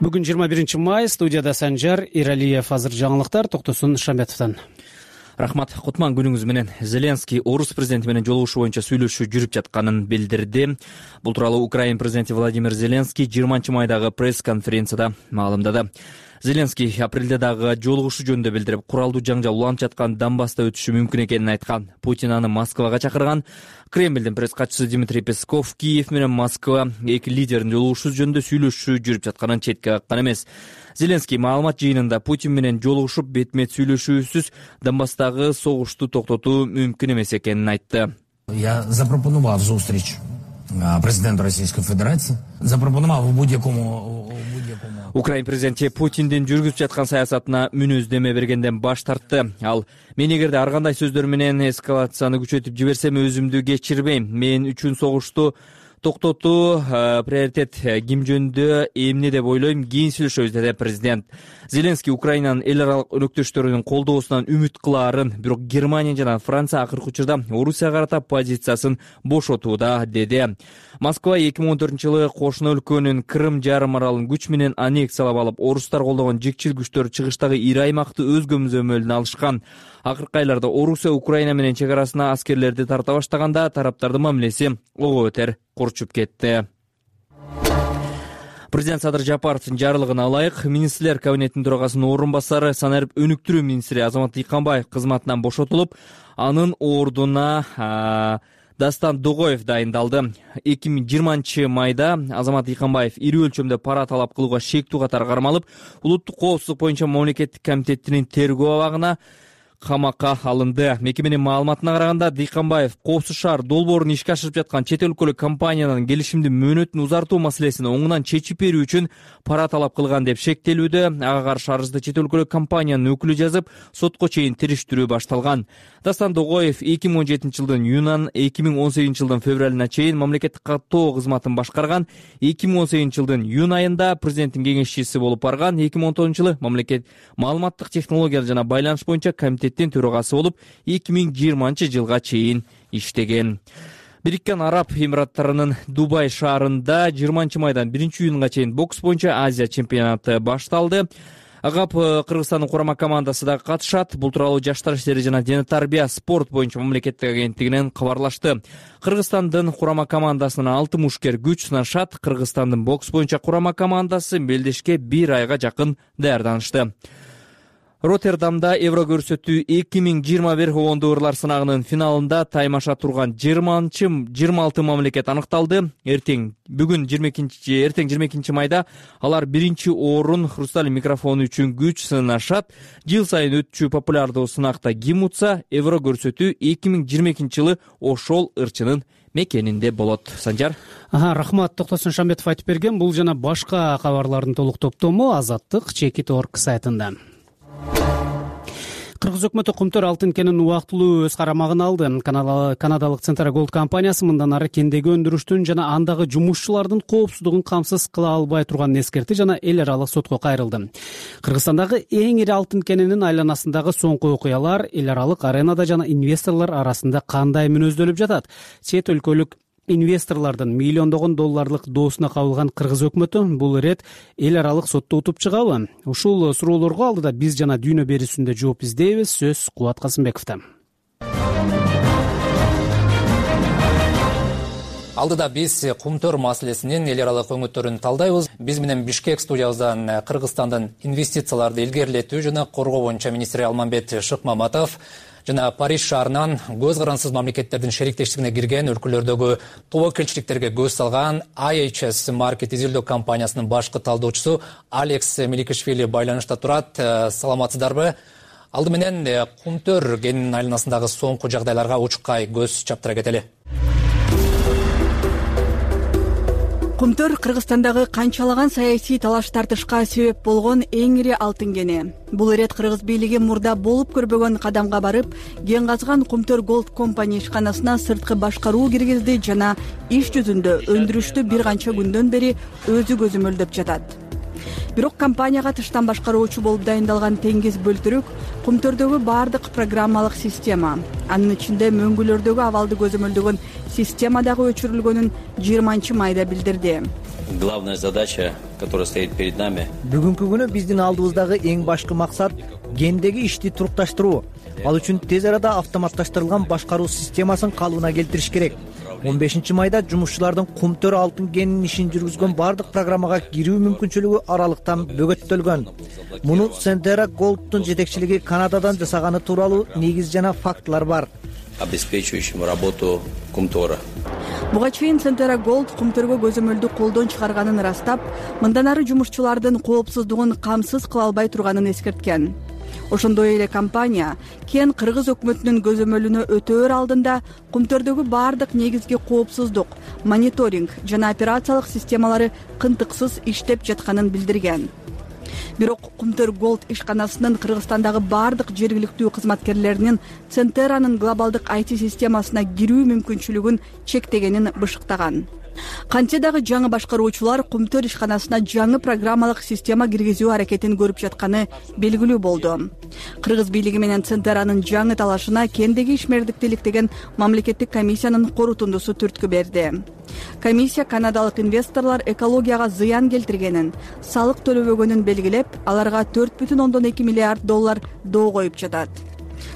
Бүгүн жыйырма биринчи май, студияда Санжар Эралиев. Азыр жаңылыктар Токтосун Шамбетовдон. Рахмат. Кутман күнүңүз менен. Зеленский орус президенти менен жолугушуу боюнча сүйлөшүү жүрүп жатканын билдирди. Бул тууралуу Украина президенти Владимир Зеленский жыйырманчы майдагы пресс-конференцияда маалымдады. Зеленский апрелде дагы жолугушуу жөнүндө билдирип, куралдуу жаңжал уланып жаткан Донбасста өтүшү мүмкүн экенин айткан. Путин аны Москвага чакырган. Кремлдин пресс катчысы Дмитрий Песков Киев менен Москва эки лидердин жолугушуу жөнүндө сүйлөшүү жүрүп жатканын четке каккан эмес. Зеленский маалымат жыйынында Путин менен жолугушуп бетме-бет сүйлөшүүсүз Донбасстагы согушту токтотуу мүмкүн эмес экенин айтты. Я запропонувал зустріч президенту Российской Федерации. Запропонувал в будь-якому Украина президенти Путиндин жүргүзүп жаткан саясатына мүнөздөмө бергенден баш тартты. Ал: "Мен эгерде ар кандай сөздөр менен эскалацияны күчөтүп жиберсем, өзүмдү кечирбейм. Мен үчүн согушту токтотуу приоритет. Ким жөнүндө эмне деп ойлойм, кийин сүйлөшөбүз", деди президент. Зеленский Украинанын эл аралык өнөктөштөрүнүн колдоосунан үмүт кылаарын, бирок Германия жана Франция акыркы учурда Орусияга карата позициясын бошотууда, деди. Москва эки миң он төртүнчү жылы кошуна өлкөнүн Крым жарым аралын күч менен аннексиялап алып, орустар колдогон жикчил күчтөр чыгыштагы ири аймакты өз көмзөмөлүнө алышкан. Акыркы айларда Орусия Украина менен чек арасына аскерлерди тарта баштаганда тараптардын мамилеси ого бетер курчуп кетти. Президент Садыр Жапаровдун жарлыгына ылайык, министрлер кабинетинин төрагасынын орун басары, санарип өнүктүрүү министри Азамат Дыйканбаев кызматынан бошотулуп, анын ордуна Дастан Догоев дайындалды. эки миң жыйырманчы майда Азамат Дыйканбаев ири өлчөмдө пара талап кылууга шектүү катары кармалып, улуттук коопсуздук боюнча мамлекеттик комитетинин тергөө абагына камакка алынды. Мекеменин маалыматына караганда, Дыйканбаев Коопсуз шаар долбоорун ишке ашырып жаткан чет өлкөлүк компаниянын келишимдин мөөнөтүн узартуу маселесин оңунан чечип берүү үчүн пара талап кылган деп шектелүүдө. Ага каршы арызды чет өлкөлүк компаниянын өкүлү жазып, сотко чейин териштирүү башталган. Дастан Догоев эки миң он жетинчи жылдын июнынан эки миң он сегизинчи жылдын февралына чейин мамлекеттик каттоо кызматын башкарган. эки миң он сегизинчи жылдын июнь айында президенттин кеңешчиси болуп барган. эки миң он тогузунчу жылы мамлекет маалыматтык технологиялар жана байланыш боюнча комитеттин төрагасы болуп, эки миң жыйырманчы жылга чейин иштеген. Бириккен Араб Эмираттарынын Дубай шаарында жыйырманчы майдан биринчи июнга чейин бокс боюнча Азия чемпионаты башталды. Агап Кыргызстандын курама командасы да катышат. Бул тууралуу Жаштар иштери жана дене тарбия спорт боюнча мамлекеттик агенттигинен кабарлашты. Кыргызстандын курама командасынын алты мушкер күч сынашат. Кыргызстандын бокс боюнча курама командасы белдешке бир айга жакын даярданышты. Роттердамда Евро көрсөтүү эки миң жыйырма бир ондуурлар сынагынын финалында таймаша турган жыйырманчы жыйырма алты мамлекет аныкталды. Эртең бүгүн жыйырма экинчи эртең жыйырма экинчи майда алар биринчи орун хрусталь микрофону үчүн күч сынашат. Жыл сайын өтчү популярдуу сынакта ким утса, Евро көрсөтүү эки миң жыйырма экинчи жылы ошол ырчынын мекенинде болот. Санжар. Ага, рахмат. Токтосун Шамбетов айтып берген. Бул жана башка кабарлардын толук топтому Азаттык чекит точка орг сайтында. Кыргыз өкмөтү Кумтөр алтын кенин убактылуу өз карамагына алды. Канадалык Centera Gold компаниясы мындан ары кендеги өндүрүштүн жана андагы жумушчулардын коопсуздугун камсыз кыла албай турганын эскерти жана эл аралык сотко кайрылды. Кыргызстандагы эң ири алтын кенинин айланасындагы соңку окуялар эл аралык аренада жана инвесторлор арасында кандай мүнөздөлүп жатат? Чет өлкөлүк инвесторлордун миллиондогон долларлык доосуна кабылган кыргыз өкмөтү бул ирет эл аралык сотто утуп чыгабы? Ушул суроолорго алдыда биз жана дүйнө берүүсүндө жооп издейбиз. Сөз Кубат Касымбековдо. Алдыда биз Кумтөр маселесинин эл аралык өңүттөрүн талдайбыз. Биз менен Бишкек студиябыздан Кыргызстандын инвестицияларды илгерилетүү жана коргоо боюнча министри Алмамбет Шыкмаматов жана Париж шаарынан көз карансыз мамлекеттердин шериктештигине кирген өлкөлөрдөгү тобокелчиликтерге көз салган ай эйч эс Market изилдөө компаниясынын башкы талдоочусу Алекс Меликишвили байланышта турат. Саламатсыздарбы? Алды менен Кумтөр кенинин айланасындагы соңку жагдайларга учуккай көз чаптыра кетели. Кумтөр Кыргызстандагы канчалаган саясий талаш тартышка себеп болгон эң ири алтын кени. Бул ирет кыргыз бийлиги мурда болуп көрбөгөн кадамга барып, кен казган Кумтөр Gold Company ишканасына сырткы башкаруу киргизди жана иш жүзүндө өндүрүштү бир канча күндөн бери өзү көзөмөлдөп жатат. Бирок компанияга тыштан башкаруучу болуп дайындалган Теңиз Бөлтүрүк Кумтөрдөгү баардык программалык система, анын ичинде мөңгүлөрдөгү абалды көзөмөлдөгөн система дагы өчүрүлгөнүн жыйырманчы майда билдирди. Главная задача, которая стоит перед нами. Бүгүнкү күнү биздин алдыбыздагы эң башкы максат кендеги ишти турукташтыруу. Ал үчүн тез арада автоматташтырылган башкаруу системасын калыбына келтириш керек. он бешинчи майда жумушчулардын Кумтөр алтын кенинин ишин жүргүзгөн баардык программага кирүү мүмкүнчүлүгү аралыктан бөгөттөлгөн. Муну Centera Gold'тун жетекчилиги Канададан жасаганы тууралуу негиз жана фактылар бар. Обеспечивающим работу Кумтора. Буга чейин Centera Gold Кумтөргө көзөмөлдү колдон чыгарганын ырастап, мындан ары жумушчулардын коопсуздугун камсыз кыла албай турганын эскерткен. Ошондой эле компания кен кыргыз өкмөтүнүн көзөмөлүнө өтөөр алдында Кумтөрдөгү баардык негизги коопсуздук, мониторинг жана операциялык системалары кынтыксыз иштеп жатканын билдирген. Бирок Кумтөр Gold ишканасынын Кыргызстандагы баардык жергиликтүү кызматкерлеринин Centera'нын глобалдык ай ти системасына кирүү мүмкүнчүлүгүн чектегенин бышыктаган. Кантсе дагы жаңы башкаруучулар Кумтөр ишканасына жаңы программалык система киргизүү аракетин көрүп жатканы белгилүү болду. Кыргыз бийлиги менен Centera'нын жаңы талашына кендеги ишмердикти иликтеген мамлекеттик комиссиянын корутундусу түрткү берди. Комиссия канадалык инвесторлор экологияга зыян келтиргенин, салык төлөбөгөнүн белгилеп, аларга төрт бүтүн ондон эки миллиард доллар доо коюп жатат.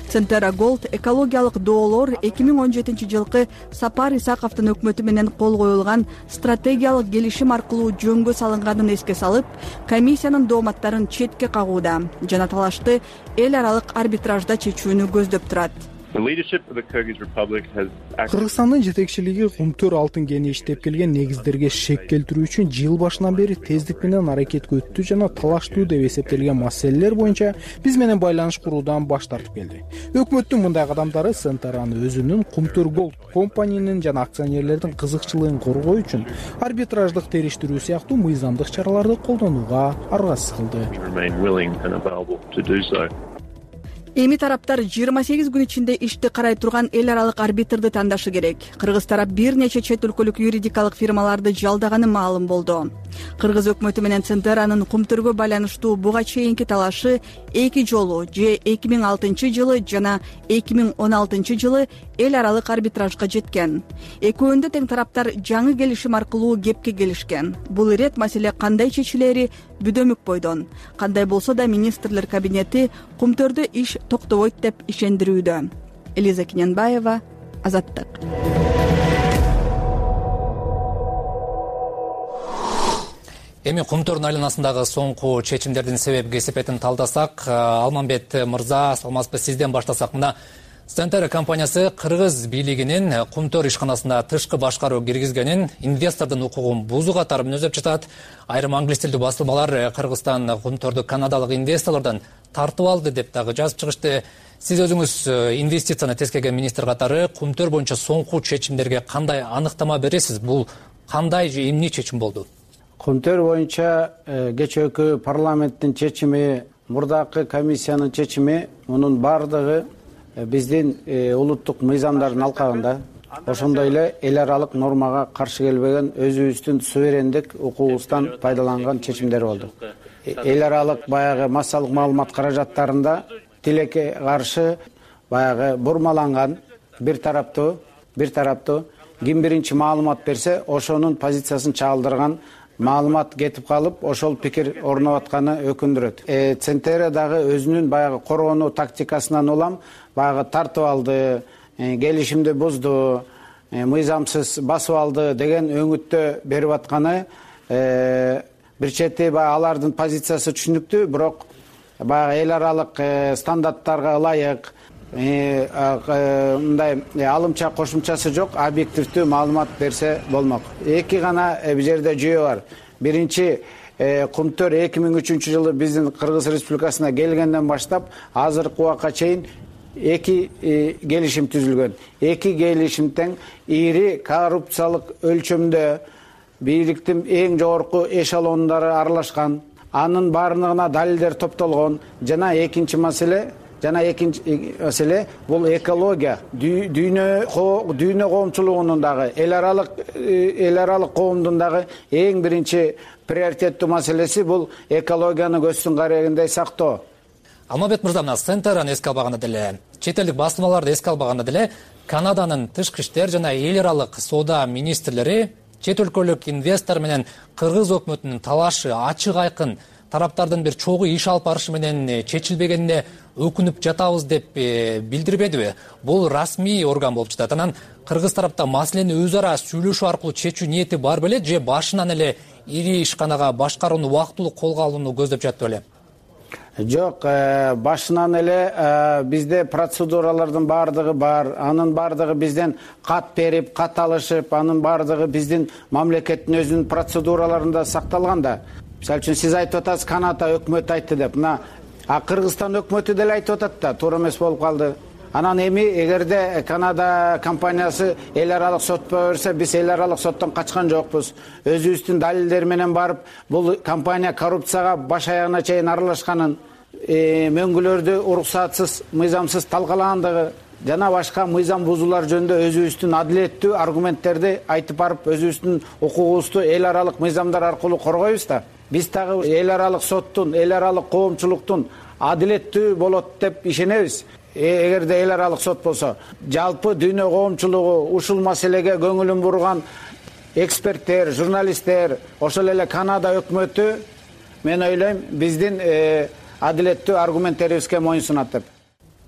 Centera Gold экологиялык доолор эки миң он жетинчи жылкы Сапар Исаковдун өкмөтү менен кол коюлган стратегиялык келишим аркылуу жөнгө салынганын эске салып, комиссиянын дооматтарын четке кагууда жана талашты эл аралык арбитражда чечүүнү көздөп турат. Кыргызстандын жетекчилиги Кумтөр алтын кени иштеп келген негиздерге шек келтирүү үчүн жыл башынан бери тездик менен аракетке өттү жана талаштуу деп эсептелген маселелер боюнча биз менен байланыш куруудан баш тартып келди. Өкмөттүн мындай кадамдары Centera'ны өзүнүн Кумтөр Gold компаниянын жана акционерлердин кызыкчылыгын коргоо үчүн арбитраждык териштирүү сыяктуу мыйзамдык чараларды колдонууга аргасыз кылды. Эми тараптар жыйырма сегиз күн ичинде ишти карай турган эл аралык арбитрди тандашы керек. Кыргыз тарап бир нече чет өлкөлүк юридикалык фирмаларды жалдаганы маалым болду. Кыргыз өкмөтү менен Centera'нын Кумтөргө байланыштуу буга чейинки талашы эки жолу же эки миң алтынчы жылы жана эки миң он алтынчы жылы эл аралык арбитражга жеткен. Экөөндө тең тараптар жаңы келишим аркылуу кепке келишкен. Бул ирет маселе кандай чечилери бүдөмүк бойдон. Кандай болсо да министрлер кабинети Кумтөрдө иш токтобойт деп ишендирүүдө. Элиза Киненбаева, Азаттык. Эми Кумтөрдүн айланасындагы соңку чечимдердин себеп кесепетин талдасак, Алмамбет мырза, саламатсызбы, сизден баштасак. Мына Centera компаниясы кыргыз бийлигинин Кумтөр ишканасында тышкы башкаруу киргизгенин, инвестордун укугун бузуу катары мүнөздөп жатат. Айрым англис тилдүү басылмалар Кыргызстан Кумтөрдү канадалык инвесторлордон тартып алды деп дагы жазып чыгышты. Сиз өзүңүз инвестицияны тескеген министр катары Кумтөр боюнча соңку чечимдерге кандай аныктама бересиз? Бул кандай же эмне чечим болду? Кумтөр боюнча кечээкү парламенттин чечими мурдакы комиссиянын чечими мунун баардыгы биздин улуттук мыйзамдардын алкагында, ошондой эле эл аралык нормага каршы келбеген өзүбүздүн суверендик укугубуздан пайдаланган чечимдер болду. Эл аралык баягы массалык маалымат каражаттарында тилекке каршы баягы бурмаланган бир тараптуу бир тараптуу ким биринчи маалымат берсе, ошонун позициясын чагылдырган маалымат кетип калып, ошол пикир орноп атканы өкүндүрөт. Центера дагы өзүнүн баягы коргонуу тактикасынан улам баягы тартып алды, келишимди бузду, мыйзамсыз басып алды деген өңүттө берип атканы бир чети баягы алардын позициясы түшүнүктүү, бирок баягы эл аралык стандарттарга ылайык мындай алымча кошумчасы жок объективдүү маалымат берсе болмок. Эки гана бул жерде жүйө бар. Биринчи, Кумтөр эки миң үчүнчү жылы биздин Кыргыз Республикасына келгенден баштап азыркы убакка чейин эки келишим түзүлгөн. Эки келишим тең ири коррупциялык өлчөмдө бийликтин эң жогорку эшелондору аралашкан, анын баардыгына далилдер топтолгон. Жана экинчи маселе Жана экинчи маселе бул экология, дүйнө дүйнө коомчулугунун дагы эл аралык эл аралык коомдун дагы эң биринчи приоритеттүү маселеси бул экологияны көздүн карегиндей сактоо. Алмабек мырза, мына Центраны эске албаганда деле, чет элдик басылмаларды эске албаганда деле, Канаданын тышкы иштер жана эл аралык соода министрлери чет өлкөлүк инвестор менен Кыргыз өкмөтүнүн талашы ачык айкын тараптардын бир чогуу иш алып барышы менен чечилбегенине өкүнүп жатабыз деп билдирбедиби? Бул расмий орган болуп жатат. Анан кыргыз тарапта маселени өз ара сүйлөшүү аркылуу чечүү ниети бар беле, же башынан эле ири ишканага башкарууну убактылуу колго алууну көздөп жатты беле? Жок, башынан эле бизде процедуралардын баардыгы бар. Анын баардыгы бизден кат берип, кат алышып, анын баардыгы биздин мамлекеттин өзүнүн процедураларында сакталган да. Мисалы үчүн сиз айтып атасыз, Канада өкмөтү айтты деп. Мына А Кыргызстан өкмөтү деле айтып атат да, туура эмес болуп калды. Анан эми эгерде Канада компаниясы эл аралык сотко берсе, биз эл аралык соттон качкан жокпуз. Өзүбүздүн далилдер менен барып, бул компания коррупцияга баш аягына чейин аралашканын, мөңгүлөрдү уруксатсыз, мыйзамсыз талкалагандыгы жана башка мыйзам бузуулар жөнүндө өзүбүздүн адилеттүү аргументтерди айтып барып, өзүбүздүн укугубузду эл аралык мыйзамдар аркылуу коргойбуз да. Биз дагы эл аралык соттун, эл аралык коомчулуктун адилеттүү болот деп ишенебиз. Эгерде эл аралык сот болсо, жалпы дүйнө коомчулугу ушул маселеге көңүлүн бурган эксперттер, журналисттер, ошол эле Канада өкмөтү, мен ойлойм, биздин адилеттүү аргументтерибизге моюнсунат деп.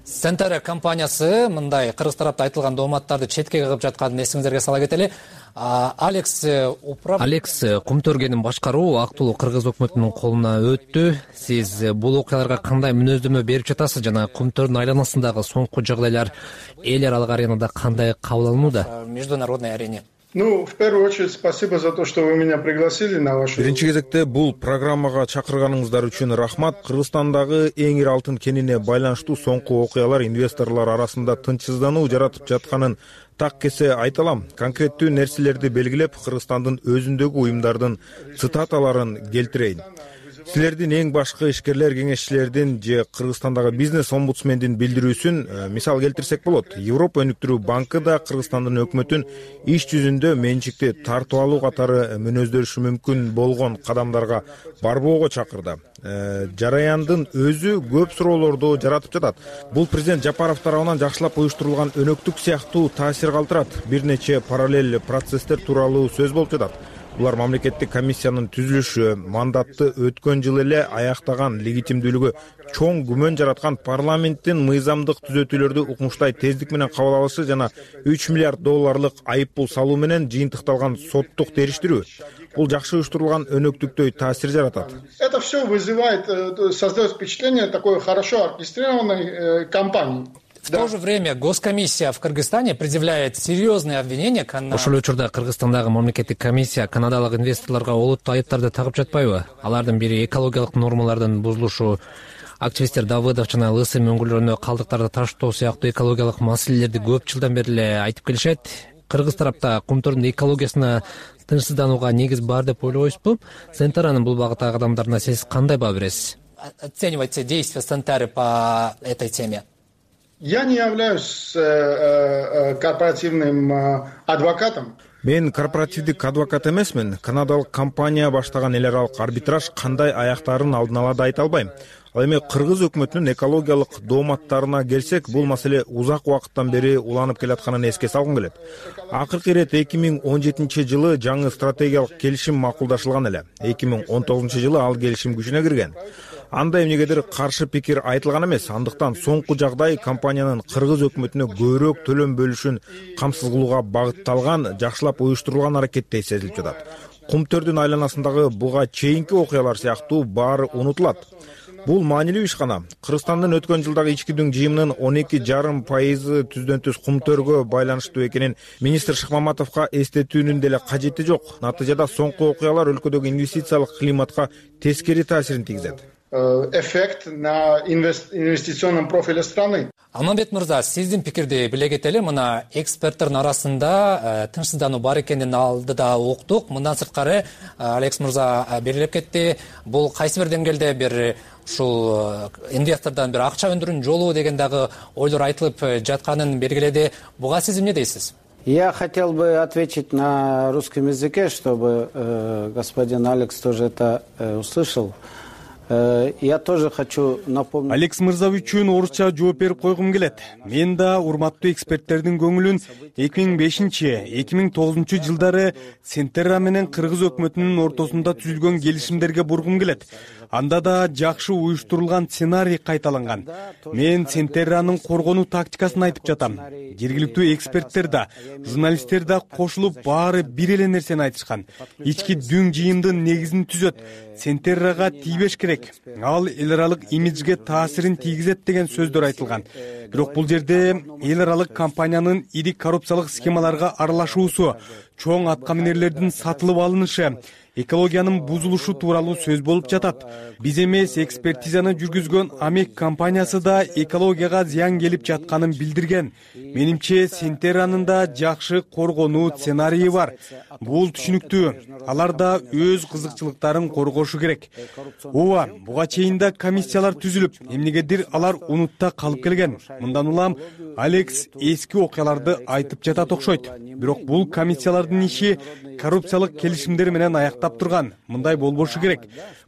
Центера компаниясы мындай кыргыз тарапта айтылган дооматтарды четке кагып жатканын эсиңиздерге сала кетели. Алекс управ Алекс Кумтөргенин башкаруу актылуу кыргыз өкмөтүнүн колуна өттү. Сиз бул окуяларга кандай мүнөздөмө берип жатасыз жана Кумтөрдүн айланасындагы соңку жагдайлар эл аралык аренада кандай кабыл алынууда? Международной арене. Ну, в первую очередь, спасибо за то, что вы меня пригласили на вашу... Биринчи кезекте бул программага чакырганыңыздар үчүн рахмат. Кыргызстандагы эң ири алтын кенине байланыштуу соңку окуялар инвесторлор арасында тынчсыздануу жаратып жатканын так кесе айта алам. Конкреттүү нерселерди белгилеп, Кыргызстандын өзүндөгү уюмдардын цитаталарын келтирейин. Силердин эң башкы ишкерлер кеңешчилердин же Кыргызстандагы бизнес омбудсмендин билдирүүсүн мисал келтирсек болот. Европа өнүктүрүү банкы да Кыргызстандын өкмөтүн иш жүзүндө менчикти тартып алуу катары мүнөздөрүшү мүмкүн болгон кадамдарга барбоого чакырды. Жараяндын өзү көп суроолорду жаратып жатат. Бул президент Жапаров тарабынан жакшылап уюштурулган өнөктүк сыяктуу таасир калтырат. Бир нече параллель процесстер тууралуу сөз болуп жатат. Булар мамлекеттик комиссиянын түзүлүшү, мандатты өткөн жылы эле аяктаган, легитимдүүлүгү чоң күмөн жараткан парламенттин мыйзамдык түзөтүүлөрдү укмуштай тездик менен кабыл алышы жана үч миллиард долларлык айыппул салуу менен жыйынтыкталган соттук териштирүү. Бул жакшы уюштурулган өнөктүктөй таасир жаратат. Это все вызывает, создает впечатление такой хорошо оркестрированной кампании. В то же время Госкомиссия в Кыргызстане предъявляет серьезные обвинения Канадаға. Ошол учурда Кыргызстандагы мамлекеттик комиссия канадалык инвесторлорго олуттуу айыптарды тагып жатпайбы? Алардын бири экологиялык нормалардын бузулушу, активисттер Давыдов жана Лысы мөңгүлөрүнө калдыктарды таштоо сыяктуу экологиялык маселелерди көп жылдан бери эле айтып келишет. Кыргыз тарапта Кумтөрдүн экологиясына тынчсызданууга негиз бар деп ойлойсузбу? Центранын бул багыттагы кадамдарына сиз кандай баа бересиз? оцениваете действия Сентеры по этой теме? Я не являюсь корпоративным адвокатом. Мен корпоративдик адвокат эмесмин. Канадалык компания баштаган эл аралык арбитраж кандай аяктаарын алдын ала да айта албайм. Ал эми кыргыз өкмөтүнүн экологиялык дооматтарына келсек, бул маселе узак убакыттан бери уланып келатканын эске салгым келет. Акыркы ирет эки миң он жетинчи жылы жаңы стратегиялык келишим макулдашылган эле. эки миң он тогузунчу жылы ал келишим күчүнө кирген. Анда эмнегедир каршы пикир айтылган эмес. Андыктан соңку жагдай компаниянын кыргыз өкмөтүнө көбүрөөк төлөм бөлүшүн камсыз кылууга багытталган, жакшылап уюштурулган аракеттей сезилип жатат. Кумтөрдүн айланасындагы буга чейинки окуялар сыяктуу баары унутулат. Бул маанилүү ишкана. Кыргызстандын өткөн жылдагы ички дүң жыйымынын он эки жарым пайызы түздөн түз кумтөргө байланыштуу экенин министр Шыкмаматовго эстетүүнүн деле кажети жок. Натыйжада соңку окуялар өлкөдөгү инвестициялык климатка тескери таасирин тийгизет. Эффект на инвестиционном профиле страны. Алмамбет мырза, сиздин пикирди биле кетели. Мына эксперттердин арасында тынчсыздануу бар экенин алдыда уктук. Мындан сырткары Алекс мырза белгилеп кетти. Бул кайсы бир деңгээлде бир ушул инвестордон бир акча өндүрүүнүн жолу деген дагы ойлор айтылып жатканын белгиледи. Буга сиз эмне дейсиз? Я хотел бы ответить на русском языке, чтобы э, господин Алекс тоже это э, услышал. Я тоже хочу напомнить. Алекс мырза үчүн орусча жооп берип койгум келет. Мен да урматтуу эксперттердин көңүлүн эки миң бешинчи эки миң тогузунчу жылдары Сентерра менен кыргыз өкмөтүнүн ортосунда түзүлгөн келишимдерге бургум келет. Анда да жакшы уюштурулган сценарий кайталанган. Мен Сентерранын коргонуу тактикасын айтып жатам. Жергиликтүү эксперттер да, журналисттер да кошулуп баары бир эле нерсени айтышкан. Ички дүң жыйымдын негизин түзөт. Сентеррага тийбеш керек. Ал эл аралык имиджге таасирин тийгизет деген сөздөр айтылган. Бирок бул жерде эл аралык компаниянын ири коррупциялык схемаларга аралашуусу, чоң аткаминерлердин сатылып алынышы, экологиянын бузулушу тууралуу сөз болуп жатат. Биз эмес, экспертизаны жүргүзгөн Амек компаниясы да экологияга зыян келип жатканын билдирген. Менимче Сентерранын да жакшы коргонуу сценарийи бар. Бул түшүнүктүү. Алар да өз кызыкчылыктарын коргошу керек. Ооба, буга чейин да комиссиялар түзүлүп, эмнегедир алар унутта калып келген. Мындан улам Алекс эски окуяларды айтып жатат окшойт. Бирок бул комиссиялардын иши коррупциялык келишимдер менен аяктап турган. Мындай болбошу керек.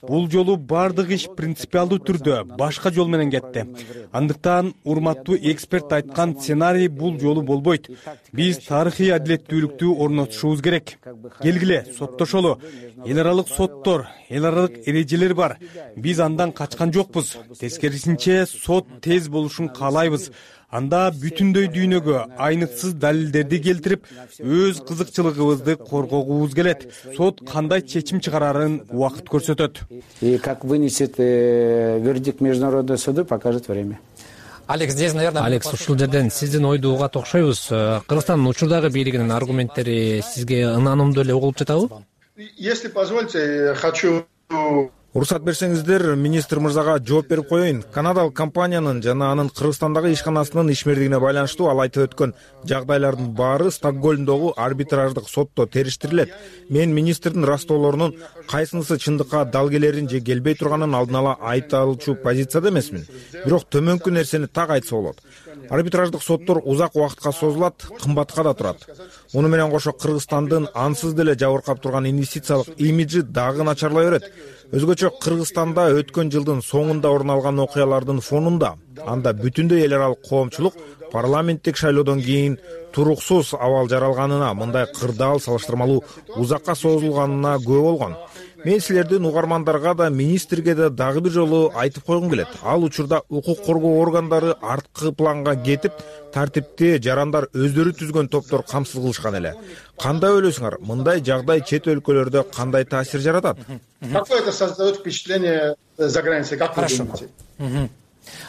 Бул жолу бардык иш принципиалдуу түрдө башка жол менен кетти. Андыктан урматтуу эксперт айткан сценарий бул жолу болбойт. Биз тарыхый адилеттүүлүктү орнотушубуз керек. Келгиле, соттошолу. Эл аралык соттор, эл аралык эрежелер бар. Биз андан качкан жокпуз. Тескерисинче, сот тез болушун каалайбыз. Анда бүтүндөй дүйнөгө айныксыз далилдерди келтирип, өз кызыкчылыгыбызды коргогубуз келет. Сот кандай чечим чыгарарын убакыт көрсөтөт. И как вынесет вердикт международного суда, покажет время. Алекс, здесь, наверное... Алекс, ушул жерден сиздин ойду угат окшойбуз. Кыргызстандын учурдагы бийлигинин аргументтери сизге ынанымдуу эле угулуп жатабы? Если позволите, хочу... Уруксат берсеңиздер, министр мырзага жооп берип коеюн. Канадалык компаниянын жана анын Кыргызстандагы ишканасынын ишмердигине байланыштуу ал айтып өткөн жагдайлардын баары Стокгольмдогу арбитраждык сотто териштирилет. Мен министрдин растоолорунун кайсынысы чындыкка дал келерин же келбей турганын алдын ала айта алчу позицияда эмесмин. Бирок төмөнкү нерсени так айтса болот. Арбитраждык соттор узак убакытка созулат, кымбатка да турат. Муну менен кошо Кыргызстандын ансыз деле жабыркап турган инвестициялык имиджи дагы начарлай берет. Өзгөчө Кыргызстанда өткөн жылдын соңунда орун алган окуялардын фонунда анда бүтүндөй эл аралык коомчулук парламенттик шайлоодон кийин туруксуз абал жаралганына, мындай кырдаал салыштырмалуу узакка созулганына күбө болгон. Мен силердин угармандарга да, министрге да дагы бир жолу айтып койгум келет. Ал учурда укук коргоо органдары арткы планга кетип, тартипти жарандар өздөрү түзгөн топтор камсыз кылышкан эле. Кандай ойлойсуңар? Мындай жагдай чет өлкөлөрдө кандай таасир жаратат? Какое это создает впечатление за границей? Как вы думаете?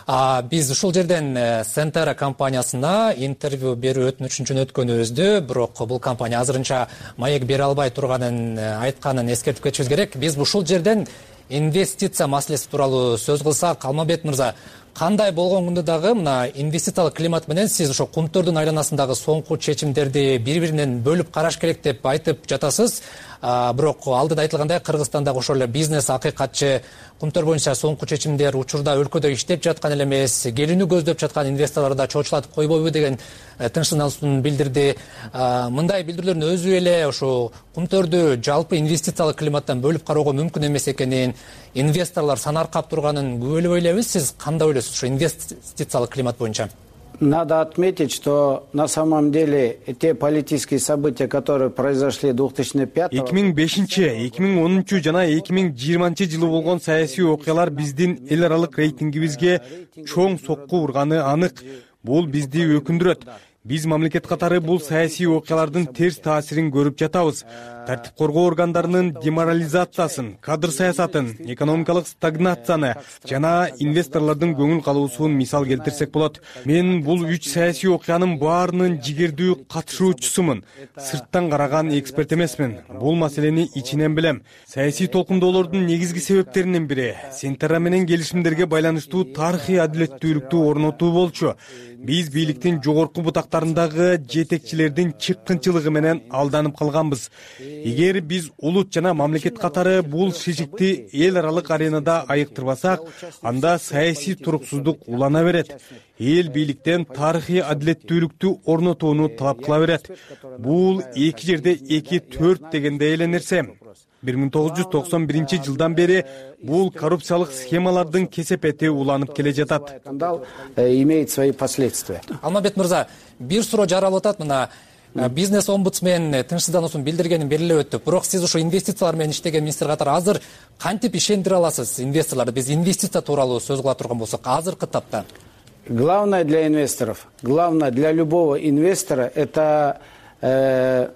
А биз ушул жерден Сентерра компаниясына интервью берүү өтүнүчүн өткөнүбүздү, бирок бул компания азырынча маек бере албай турганын айтканын эскертип кетишибиз керек. Биз ушул жерден инвестиция маселеси тууралуу сөз кылсак, Алмамбет мырза, кандай болгондо дагы мына инвестициялык климат менен сиз ошо кумтөрдүн айланасындагы соңку чечимдерди бири-биринен бөлүп караш керек деп айтып жатасыз. бирок алдыда айтылгандай Кыргызстандагы ошол эле бизнес акыйкатчы кумтөр боюнча соңку чечимдер учурда өлкөдө иштеп жаткан эле эмес, келүүнү көздөп жаткан инвесторлорду да чочулатып койбойбу деген тынчсыздануусун билдирди. Мындай билдирүүлөрдүн өзү эле ошо кумтөрдү жалпы инвестициялык климаттан бөлүп кароого мүмкүн эмес экенин, инвесторлор санаркап турганын күбөлөбөй элебиз. Сиз кандай ойлойсуз ошо инвестициялык климат боюнча? Надо отметить, что на самом деле те политические события, которые произошли две тысячи пятого эки миң бешинчи эки миң онунчу жана эки миң жыйырманчы жылы болгон саясий окуялар биздин эл аралык рейтингибизге чоң сокку урганы анык. Бул бизди өкүндүрөт. Биз мамлекет катары бул саясий окуялардын терс таасирин көрүп жатабыз. Тартип коргоо органдарынын деморализациясын, кадр саясатын, экономикалык стагнацияны жана инвесторлордун көңүл калуусун мисал келтирсек болот. Мен бул үч саясий окуянын баарынын жигердүү катышуучусумун. Сырттан караган эксперт эмесмин. Бул маселени ичинен билем. Саясий толкундоолордун негизги себептеринин бири Сентера менен келишимдерге байланыштуу тарыхый адилеттүүлүктү орнотуу болчу. Биз бийликтин жогорку бутактарындагы жетекчилердин чыккынчылыгы менен алданып калганбыз. Эгер биз улут жана мамлекет катары бул шишикти эл аралык аренада айыктырбасак, анда саясий туруксуздук улана берет. Эл бийликтен тарыхый адилеттүүлүктү орнотууну талап кыла берет. Бул эки жерде эки төрт дегендей эле нерсе. бир миң тогуз жүз токсон биринчи жылдан бери бул коррупциялык схемалардын кесепети уланып келе жатат. Скандал имеет свои последствия. Алмамбет мырза, бир суроо жаралып атат. Мына бизнес омбудсмен тынчсыздануусун билдиргенин белгилеп өттү. Бирок сиз ошо инвестициялар менен иштеген министр катары азыр кантип ишендире аласыз инвесторлорду? Биз инвестиция тууралуу сөз кыла турган болсок, азыркы тапта. Главное для инвесторов, главное для любого инвестора — это э,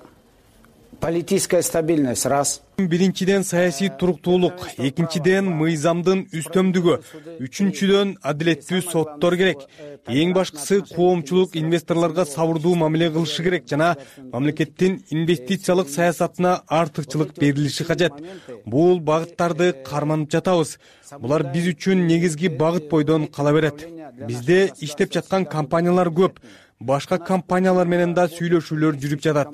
политическая стабильность, раз. Биринчиден саясий туруктуулук, экинчиден мыйзамдын үстөмдүгү, үчүнчүдөн адилеттүү соттор керек. Эң башкысы коомчулук инвесторлорго сабырдуу мамиле кылышы керек жана мамлекеттин инвестициялык саясатына артыкчылык берилиши кажет. Бул багыттарды карманып жатабыз. Булар биз үчүн негизги багыт бойдон кала берет. Бизде иштеп жаткан компаниялар көп. Башка компаниялар менен да сүйлөшүүлөр жүрүп жатат.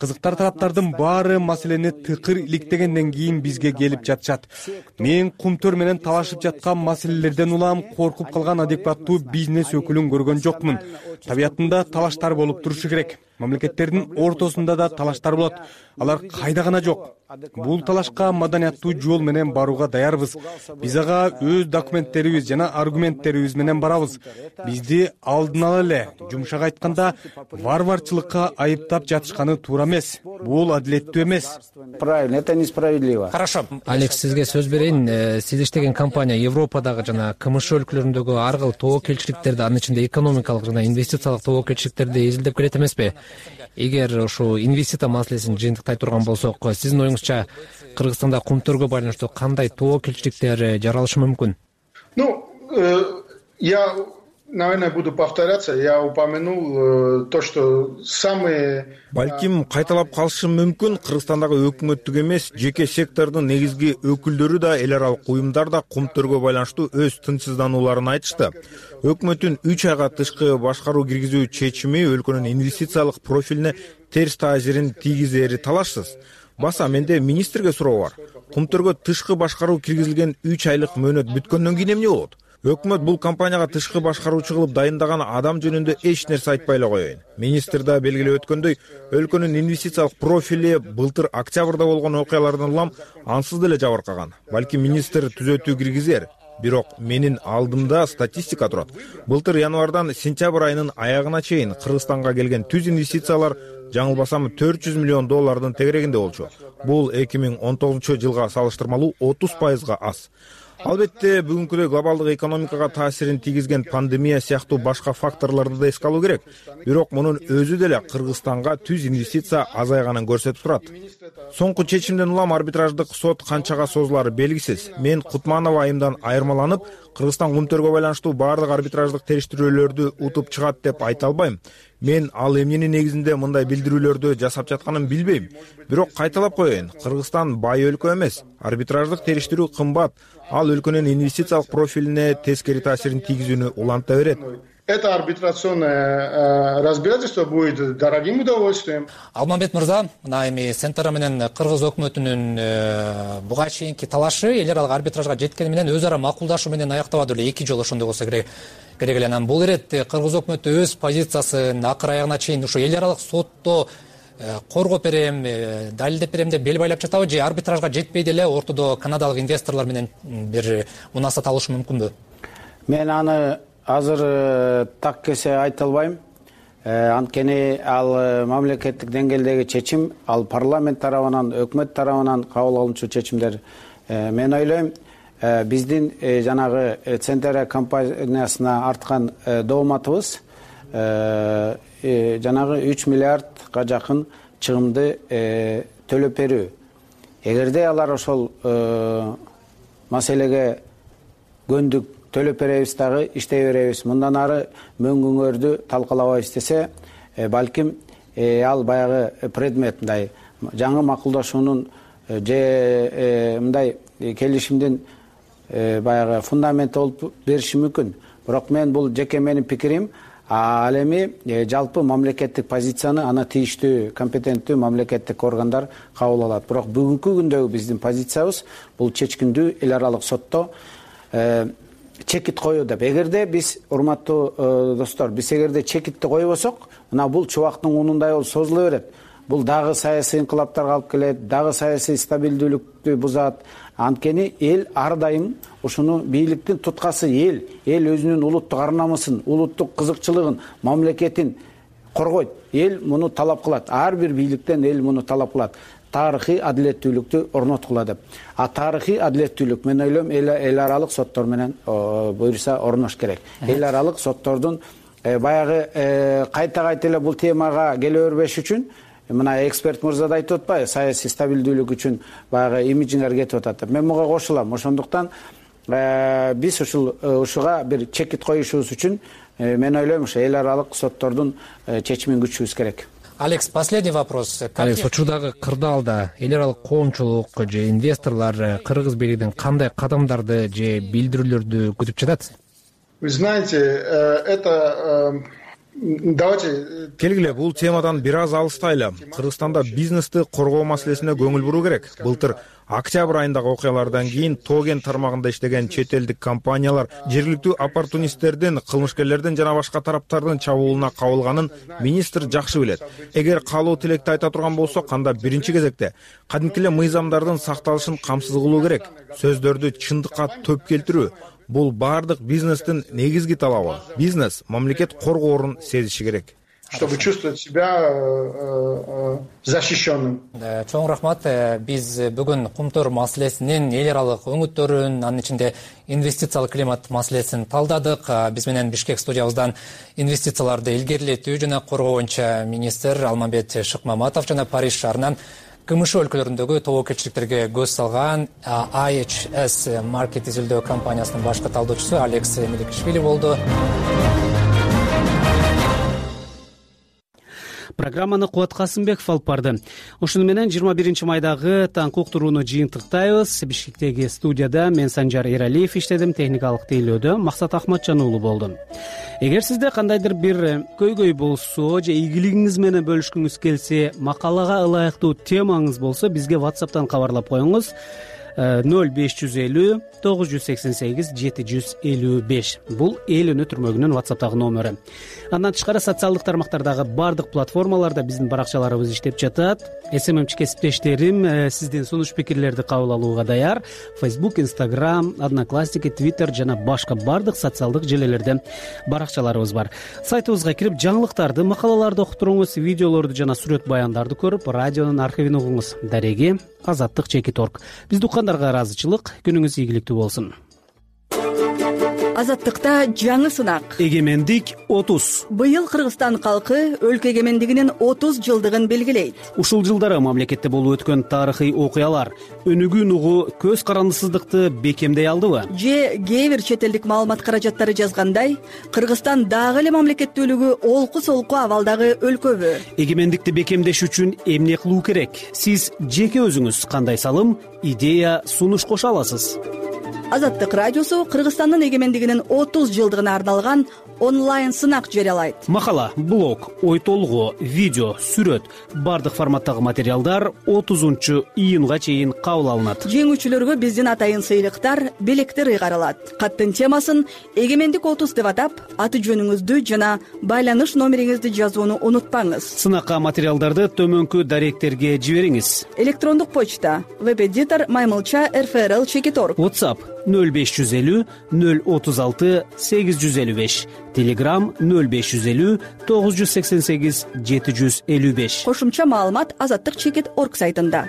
Кызыктар тараптардын баары маселени тыкыр иликтегенден кийин бизге келип жатышат. Мен кумтөр менен талашып жаткан маселелерден улам коркуп калган адекваттуу бизнес өкүлүн көргөн жокмун. Табиятында талаштар болуп турушу керек. Мамлекеттердин ортосунда да талаштар болот. Алар кайда гана жок. Бул талашка маданияттуу жол менен барууга даярбыз. Биз ага өз документтерибиз жана аргументтерибиз менен барабыз. Бизди алдын ала эле, жумшак айтканда, варварчылыкка айыптап жатышканы туура эмес. Бул адилеттүү эмес. Правильно, это несправедливо. Хорошо. Алекс, сизге сөз берейин. Сиз иштеген компания Европадагы жана КМШ өлкөлөрүндөгү ар кыл тобокелчиликтерди, анын ичинде экономикалык жана инвестициялык тобокелчиликтерди изилдеп келет эмеспи? Эгер ошо инвестиция маселесин жыйынтыктай турган болсок, сиздин оюңузча Кыргызстанда кумтөргө байланыштуу кандай тобокелчиликтер жаралышы мүмкүн? Ну, э, я, наверное, буду повторяться. Я упомянул э, то, что самые... Балким кайталап калышым мүмкүн. Кыргызстандагы өкмөттүк эмес, жеке сектордун негизги өкүлдөрү да, эл аралык уюмдар да кумтөргө байланыштуу өз тынчсызданууларын айтышты. Өкмөттүн үч айга тышкы башкаруу киргизүү чечими өлкөнүн инвестициялык профилине терс таасирин тийгизери талашсыз. Баса менде министрге суроо бар. Кумтөргө тышкы башкаруу киргизилген үч айлык мөөнөт бүткөндөн кийин эмне болот? Өкмөт бул компанияга тышкы башкаруучу кылып дайындаган адам жөнүндө эч нерсе айтпай эле коеюн. Министр да белгилеп өткөндөй, өлкөнүн инвестициялык профили былтыр октябрда болгон окуялардан улам ансыз деле жабыркаган. Балки министр түзөтүү киргизер. Бирок менин алдымда статистика турат. Былтыр январдан сентябрь айынын аягына чейин Кыргызстанга келген түз инвестициялар жаңылбасам төрт жүз миллион доллардын тегерегинде болчу. Бул эки миң он тогузунчу жылга салыштырмалуу отуз пайызга аз. Албетте, бүгүнкүдөй глобалдык экономикага таасирин тийгизген пандемия сыяктуу башка факторлорду да эске алуу керек. Бирок мунун өзү деле Кыргызстанга түз инвестиция азайганын көрсөтүп турат. Соңку чечимден улам арбитраждык сот канчага созулары белгисиз. Мен Кутманов айымдан айырмаланып, Кыргызстан кумтөргө байланыштуу баардык арбитраждык териштирүүлөрдү утуп чыгат деп айта албайм. Мен ал эмненин негизинде мындай билдирүүлөрдү жасап жатканын билбейм. Бирок кайталап коеюн, Кыргызстан бай өлкө эмес. Арбитраждык териштирүү кымбат. Ал өлкөнүн инвестициялык профилине тескери таасирин тийгизүүнү уланта берет. это арбитрационное разбирательство будет дорогим удовольствием. Алмамбет мырза, мына эми Центра менен Кыргыз өкмөтүнүн буга чейинки талашы эл аралык арбитражга жеткени менен өз ара макулдашуу менен аяктабады эле, эки жолу ошондой болсо керек керек эле. Анан бул иретте Кыргыз өкмөтү өз позициясын акыр аягына чейин ушу эл аралык сотто коргоп берем, далилдеп берем деп бел байлап жатабы, же арбитражга жетпей деле ортодо канадалык инвесторлор менен бир мунасат алышы мүмкүнбү? Мен аны азыр так кесе айта албайм. Анткени ал мамлекеттик деңгээлдеги чечим, ал парламент тарабынан, өкмөт тарабынан кабыл алынчу чечимдер. Мен ойлойм, биздин жанагы Центра компаниясына арткан дооматыбыз жанагы үч миллиардга жакын чыгымды төлөп берүү. Эгерде алар ошол маселеге көндүк, төлөп беребиз дагы, иштей беребиз, мындан ары мөңгүңөрдү талкалабайбыз десе, балким ал баягы предмет мындай жаңы макулдашуунун же мындай келишимдин баягы фундаменти болуп бериши мүмкүн. Бирок мен бул жеке менин пикирим. Ал эми жалпы мамлекеттик позицияны аны тийиштүү, компетенттүү мамлекеттик органдар кабыл алат. Бирок бүгүнкү күндөгү биздин позициябыз бул чечкиндүү эл аралык сотто чекит коюу деп. Эгерде биз, урматтуу достор, биз эгерде чекитти койбосок, мына бул чубактын унундай болуп созула берет. Бул дагы саясий инкылаптарга алып келет, дагы саясий стабилдүүлүктү бузат. Анткени эл ар дайым ушуну бийликтин туткасы эл, эл өзүнүн улуттук ар намысын, улуттук кызыкчылыгын, мамлекетин коргойт. Эл муну талап кылат. Ар бир бийликтен эл муну талап кылат. Тарыхый адилеттүүлүктү орноткула деп. А тарыхый адилеттүүлүк мен ойлойм эл аралык соттор менен буюрса орнош керек. Эл аралык соттордун баягы кайта кайта эле бул темага келе бербеш үчүн, мына эксперт мырза да айтып атпайбы, саясий стабилдүүлүк үчүн баягы имиджиңер кетип атат деп. Мен буга кошулам. Ошондуктан биз ушул ушуга бир чекит коюшубуз үчүн мен ойлойм ушу эл аралык соттордун чечимин күтүшүбүз керек. Алекс, последний вопрос. Алекс, учурдагы кырдаалда эл аралык коомчулук же инвесторлор Кыргыз бийлигинин кандай кадамдарды же билдирүүлөрдү күтүп жатат? Вы знаете, это давайте келгиле бул темадан бир аз алыстайлы. Кыргызстанда бизнести коргоо маселесине көңүл буруу керек. Былтыр октябрь айындагы окуялардан кийин Тоген тармагында иштеген чет элдик компаниялар жергиликтүү оппортунисттердин, кылмышкерлердин жана башка тараптардын чабуулуна кабылганын министр жакшы билет. Эгер каалоо тилекти айта турган болсок, анда биринчи кезекте кадимки эле мыйзамдардын сакталышын камсыз кылуу керек. Сөздөрдү чындыкка төп келтирүү. Бул бардык бизнестин негизги талабы. Бизнес мамлекет коргоорун сезиши керек. Чтобы чувствовать себя защищенным. Чоң рахмат. Биз бүгүн Кумтөр маселесинин эл аралык өңүттөрүн, анын ичинде инвестициялык климат маселесин талдадык. Биз менен Бишкек студиябыздан инвестицияларды илгерилетүү жана коргоо боюнча министр Алмамбет Шыкмаматов жана Париж шаарынан КМШ өлкөлөрүндөгү тобокелчиликтерге көз салган ай эйч эс маркет изилдөө компаниясынын башкы талдоочусу Алекс Меликишвили болду. Программаны Кубат Касымбеков алып барды. Ошону менен жыйырма биринчи майдагы таңкы уктурууну жыйынтыктайбыз. Бишкектеги студияда мен Санжар Эралиев иштедим, техникалык тейлөөдө Максат Ахматжан уулу болду. Эгер сизде кандайдыр бир көйгөй болсо же ийгилигиңиз менен бөлүшкүңүз келсе, макалага ылайыктуу темаңыз болсо, бизге WhatsApp'тан кабарлап коюңуз. ноль беш жүз элүү тогуз жүз сексен сегиз жети жүз элүү беш. Бул эл үнү түрмөгүнүн WhatsApp'тагы номери. Андан тышкары социалдык тармактардагы бардык платформаларда биздин баракчаларыбыз иштеп жатат. эс эм эм-чи кесиптештерим сиздин сунуш пикирлерди кабыл алууга даяр. Facebook, Instagram, Одноклассники, Twitter жана башка бардык социалдык желелерде баракчаларыбыз бар. Сайтыбызга кирип, жаңылыктарды, макалаларды окуп туруңуз, видеолорду жана сүрөт баяндарды көрүп, радионун архивин угуңуз. Дареги азаттык чекит точка орг. Бизди уккандарга ыраазычылык, күнүңүз ийгиликтүү болсун. Азаттыкта жаңы сынак. Эгемендик отуз. Быйыл Кыргызстан калкы өлкө эгемендигинин отуз жылдыгын белгилейт. Ушул жылдары мамлекетте болуп өткөн тарыхый окуялар өнүгүүн угу көз карандысыздыкты бекемдей алдыбы? Же кээ бир чет элдик маалымат каражаттары жазгандай, Кыргызстан дагы эле мамлекеттүүлүгү олку-солку абалдагы өлкөбү? Эгемендикти бекемдеш үчүн эмне кылуу керек? Сиз жеке өзүңүз кандай салым, идея, сунуш кошо аласыз? Азаттык радиосу Кыргызстандын эгемендигинин отуз жылдыгына арналган онлайн сынак жарыялайт. Макала, блог, ой толгоо, видео, сүрөт бардык форматтагы материалдар отузунчу июнга чейин кабыл алынат. Жеңүүчүлөргө биздин атайын сыйлыктар, белектер ыйгарылат. Каттын темасын эгемендик отуз деп атап, аты жөнүңүздү жана байланыш номериңизди жазууну унутпаңыз. Сынакка материалдарды төмөнкү даректерге жибериңиз. Электрондук почта веб-эдитор маймылча эр эф эр эл чекит орг. WhatsApp нөл беш жүз элүү нөл отуз алты сегиз жүз элүү беш. Telegram нөл беш жүз элүү тогуз жүз сексен сегиз жети жүз элүү беш. Кошумча маалымат азаттык чекит орг сайтында.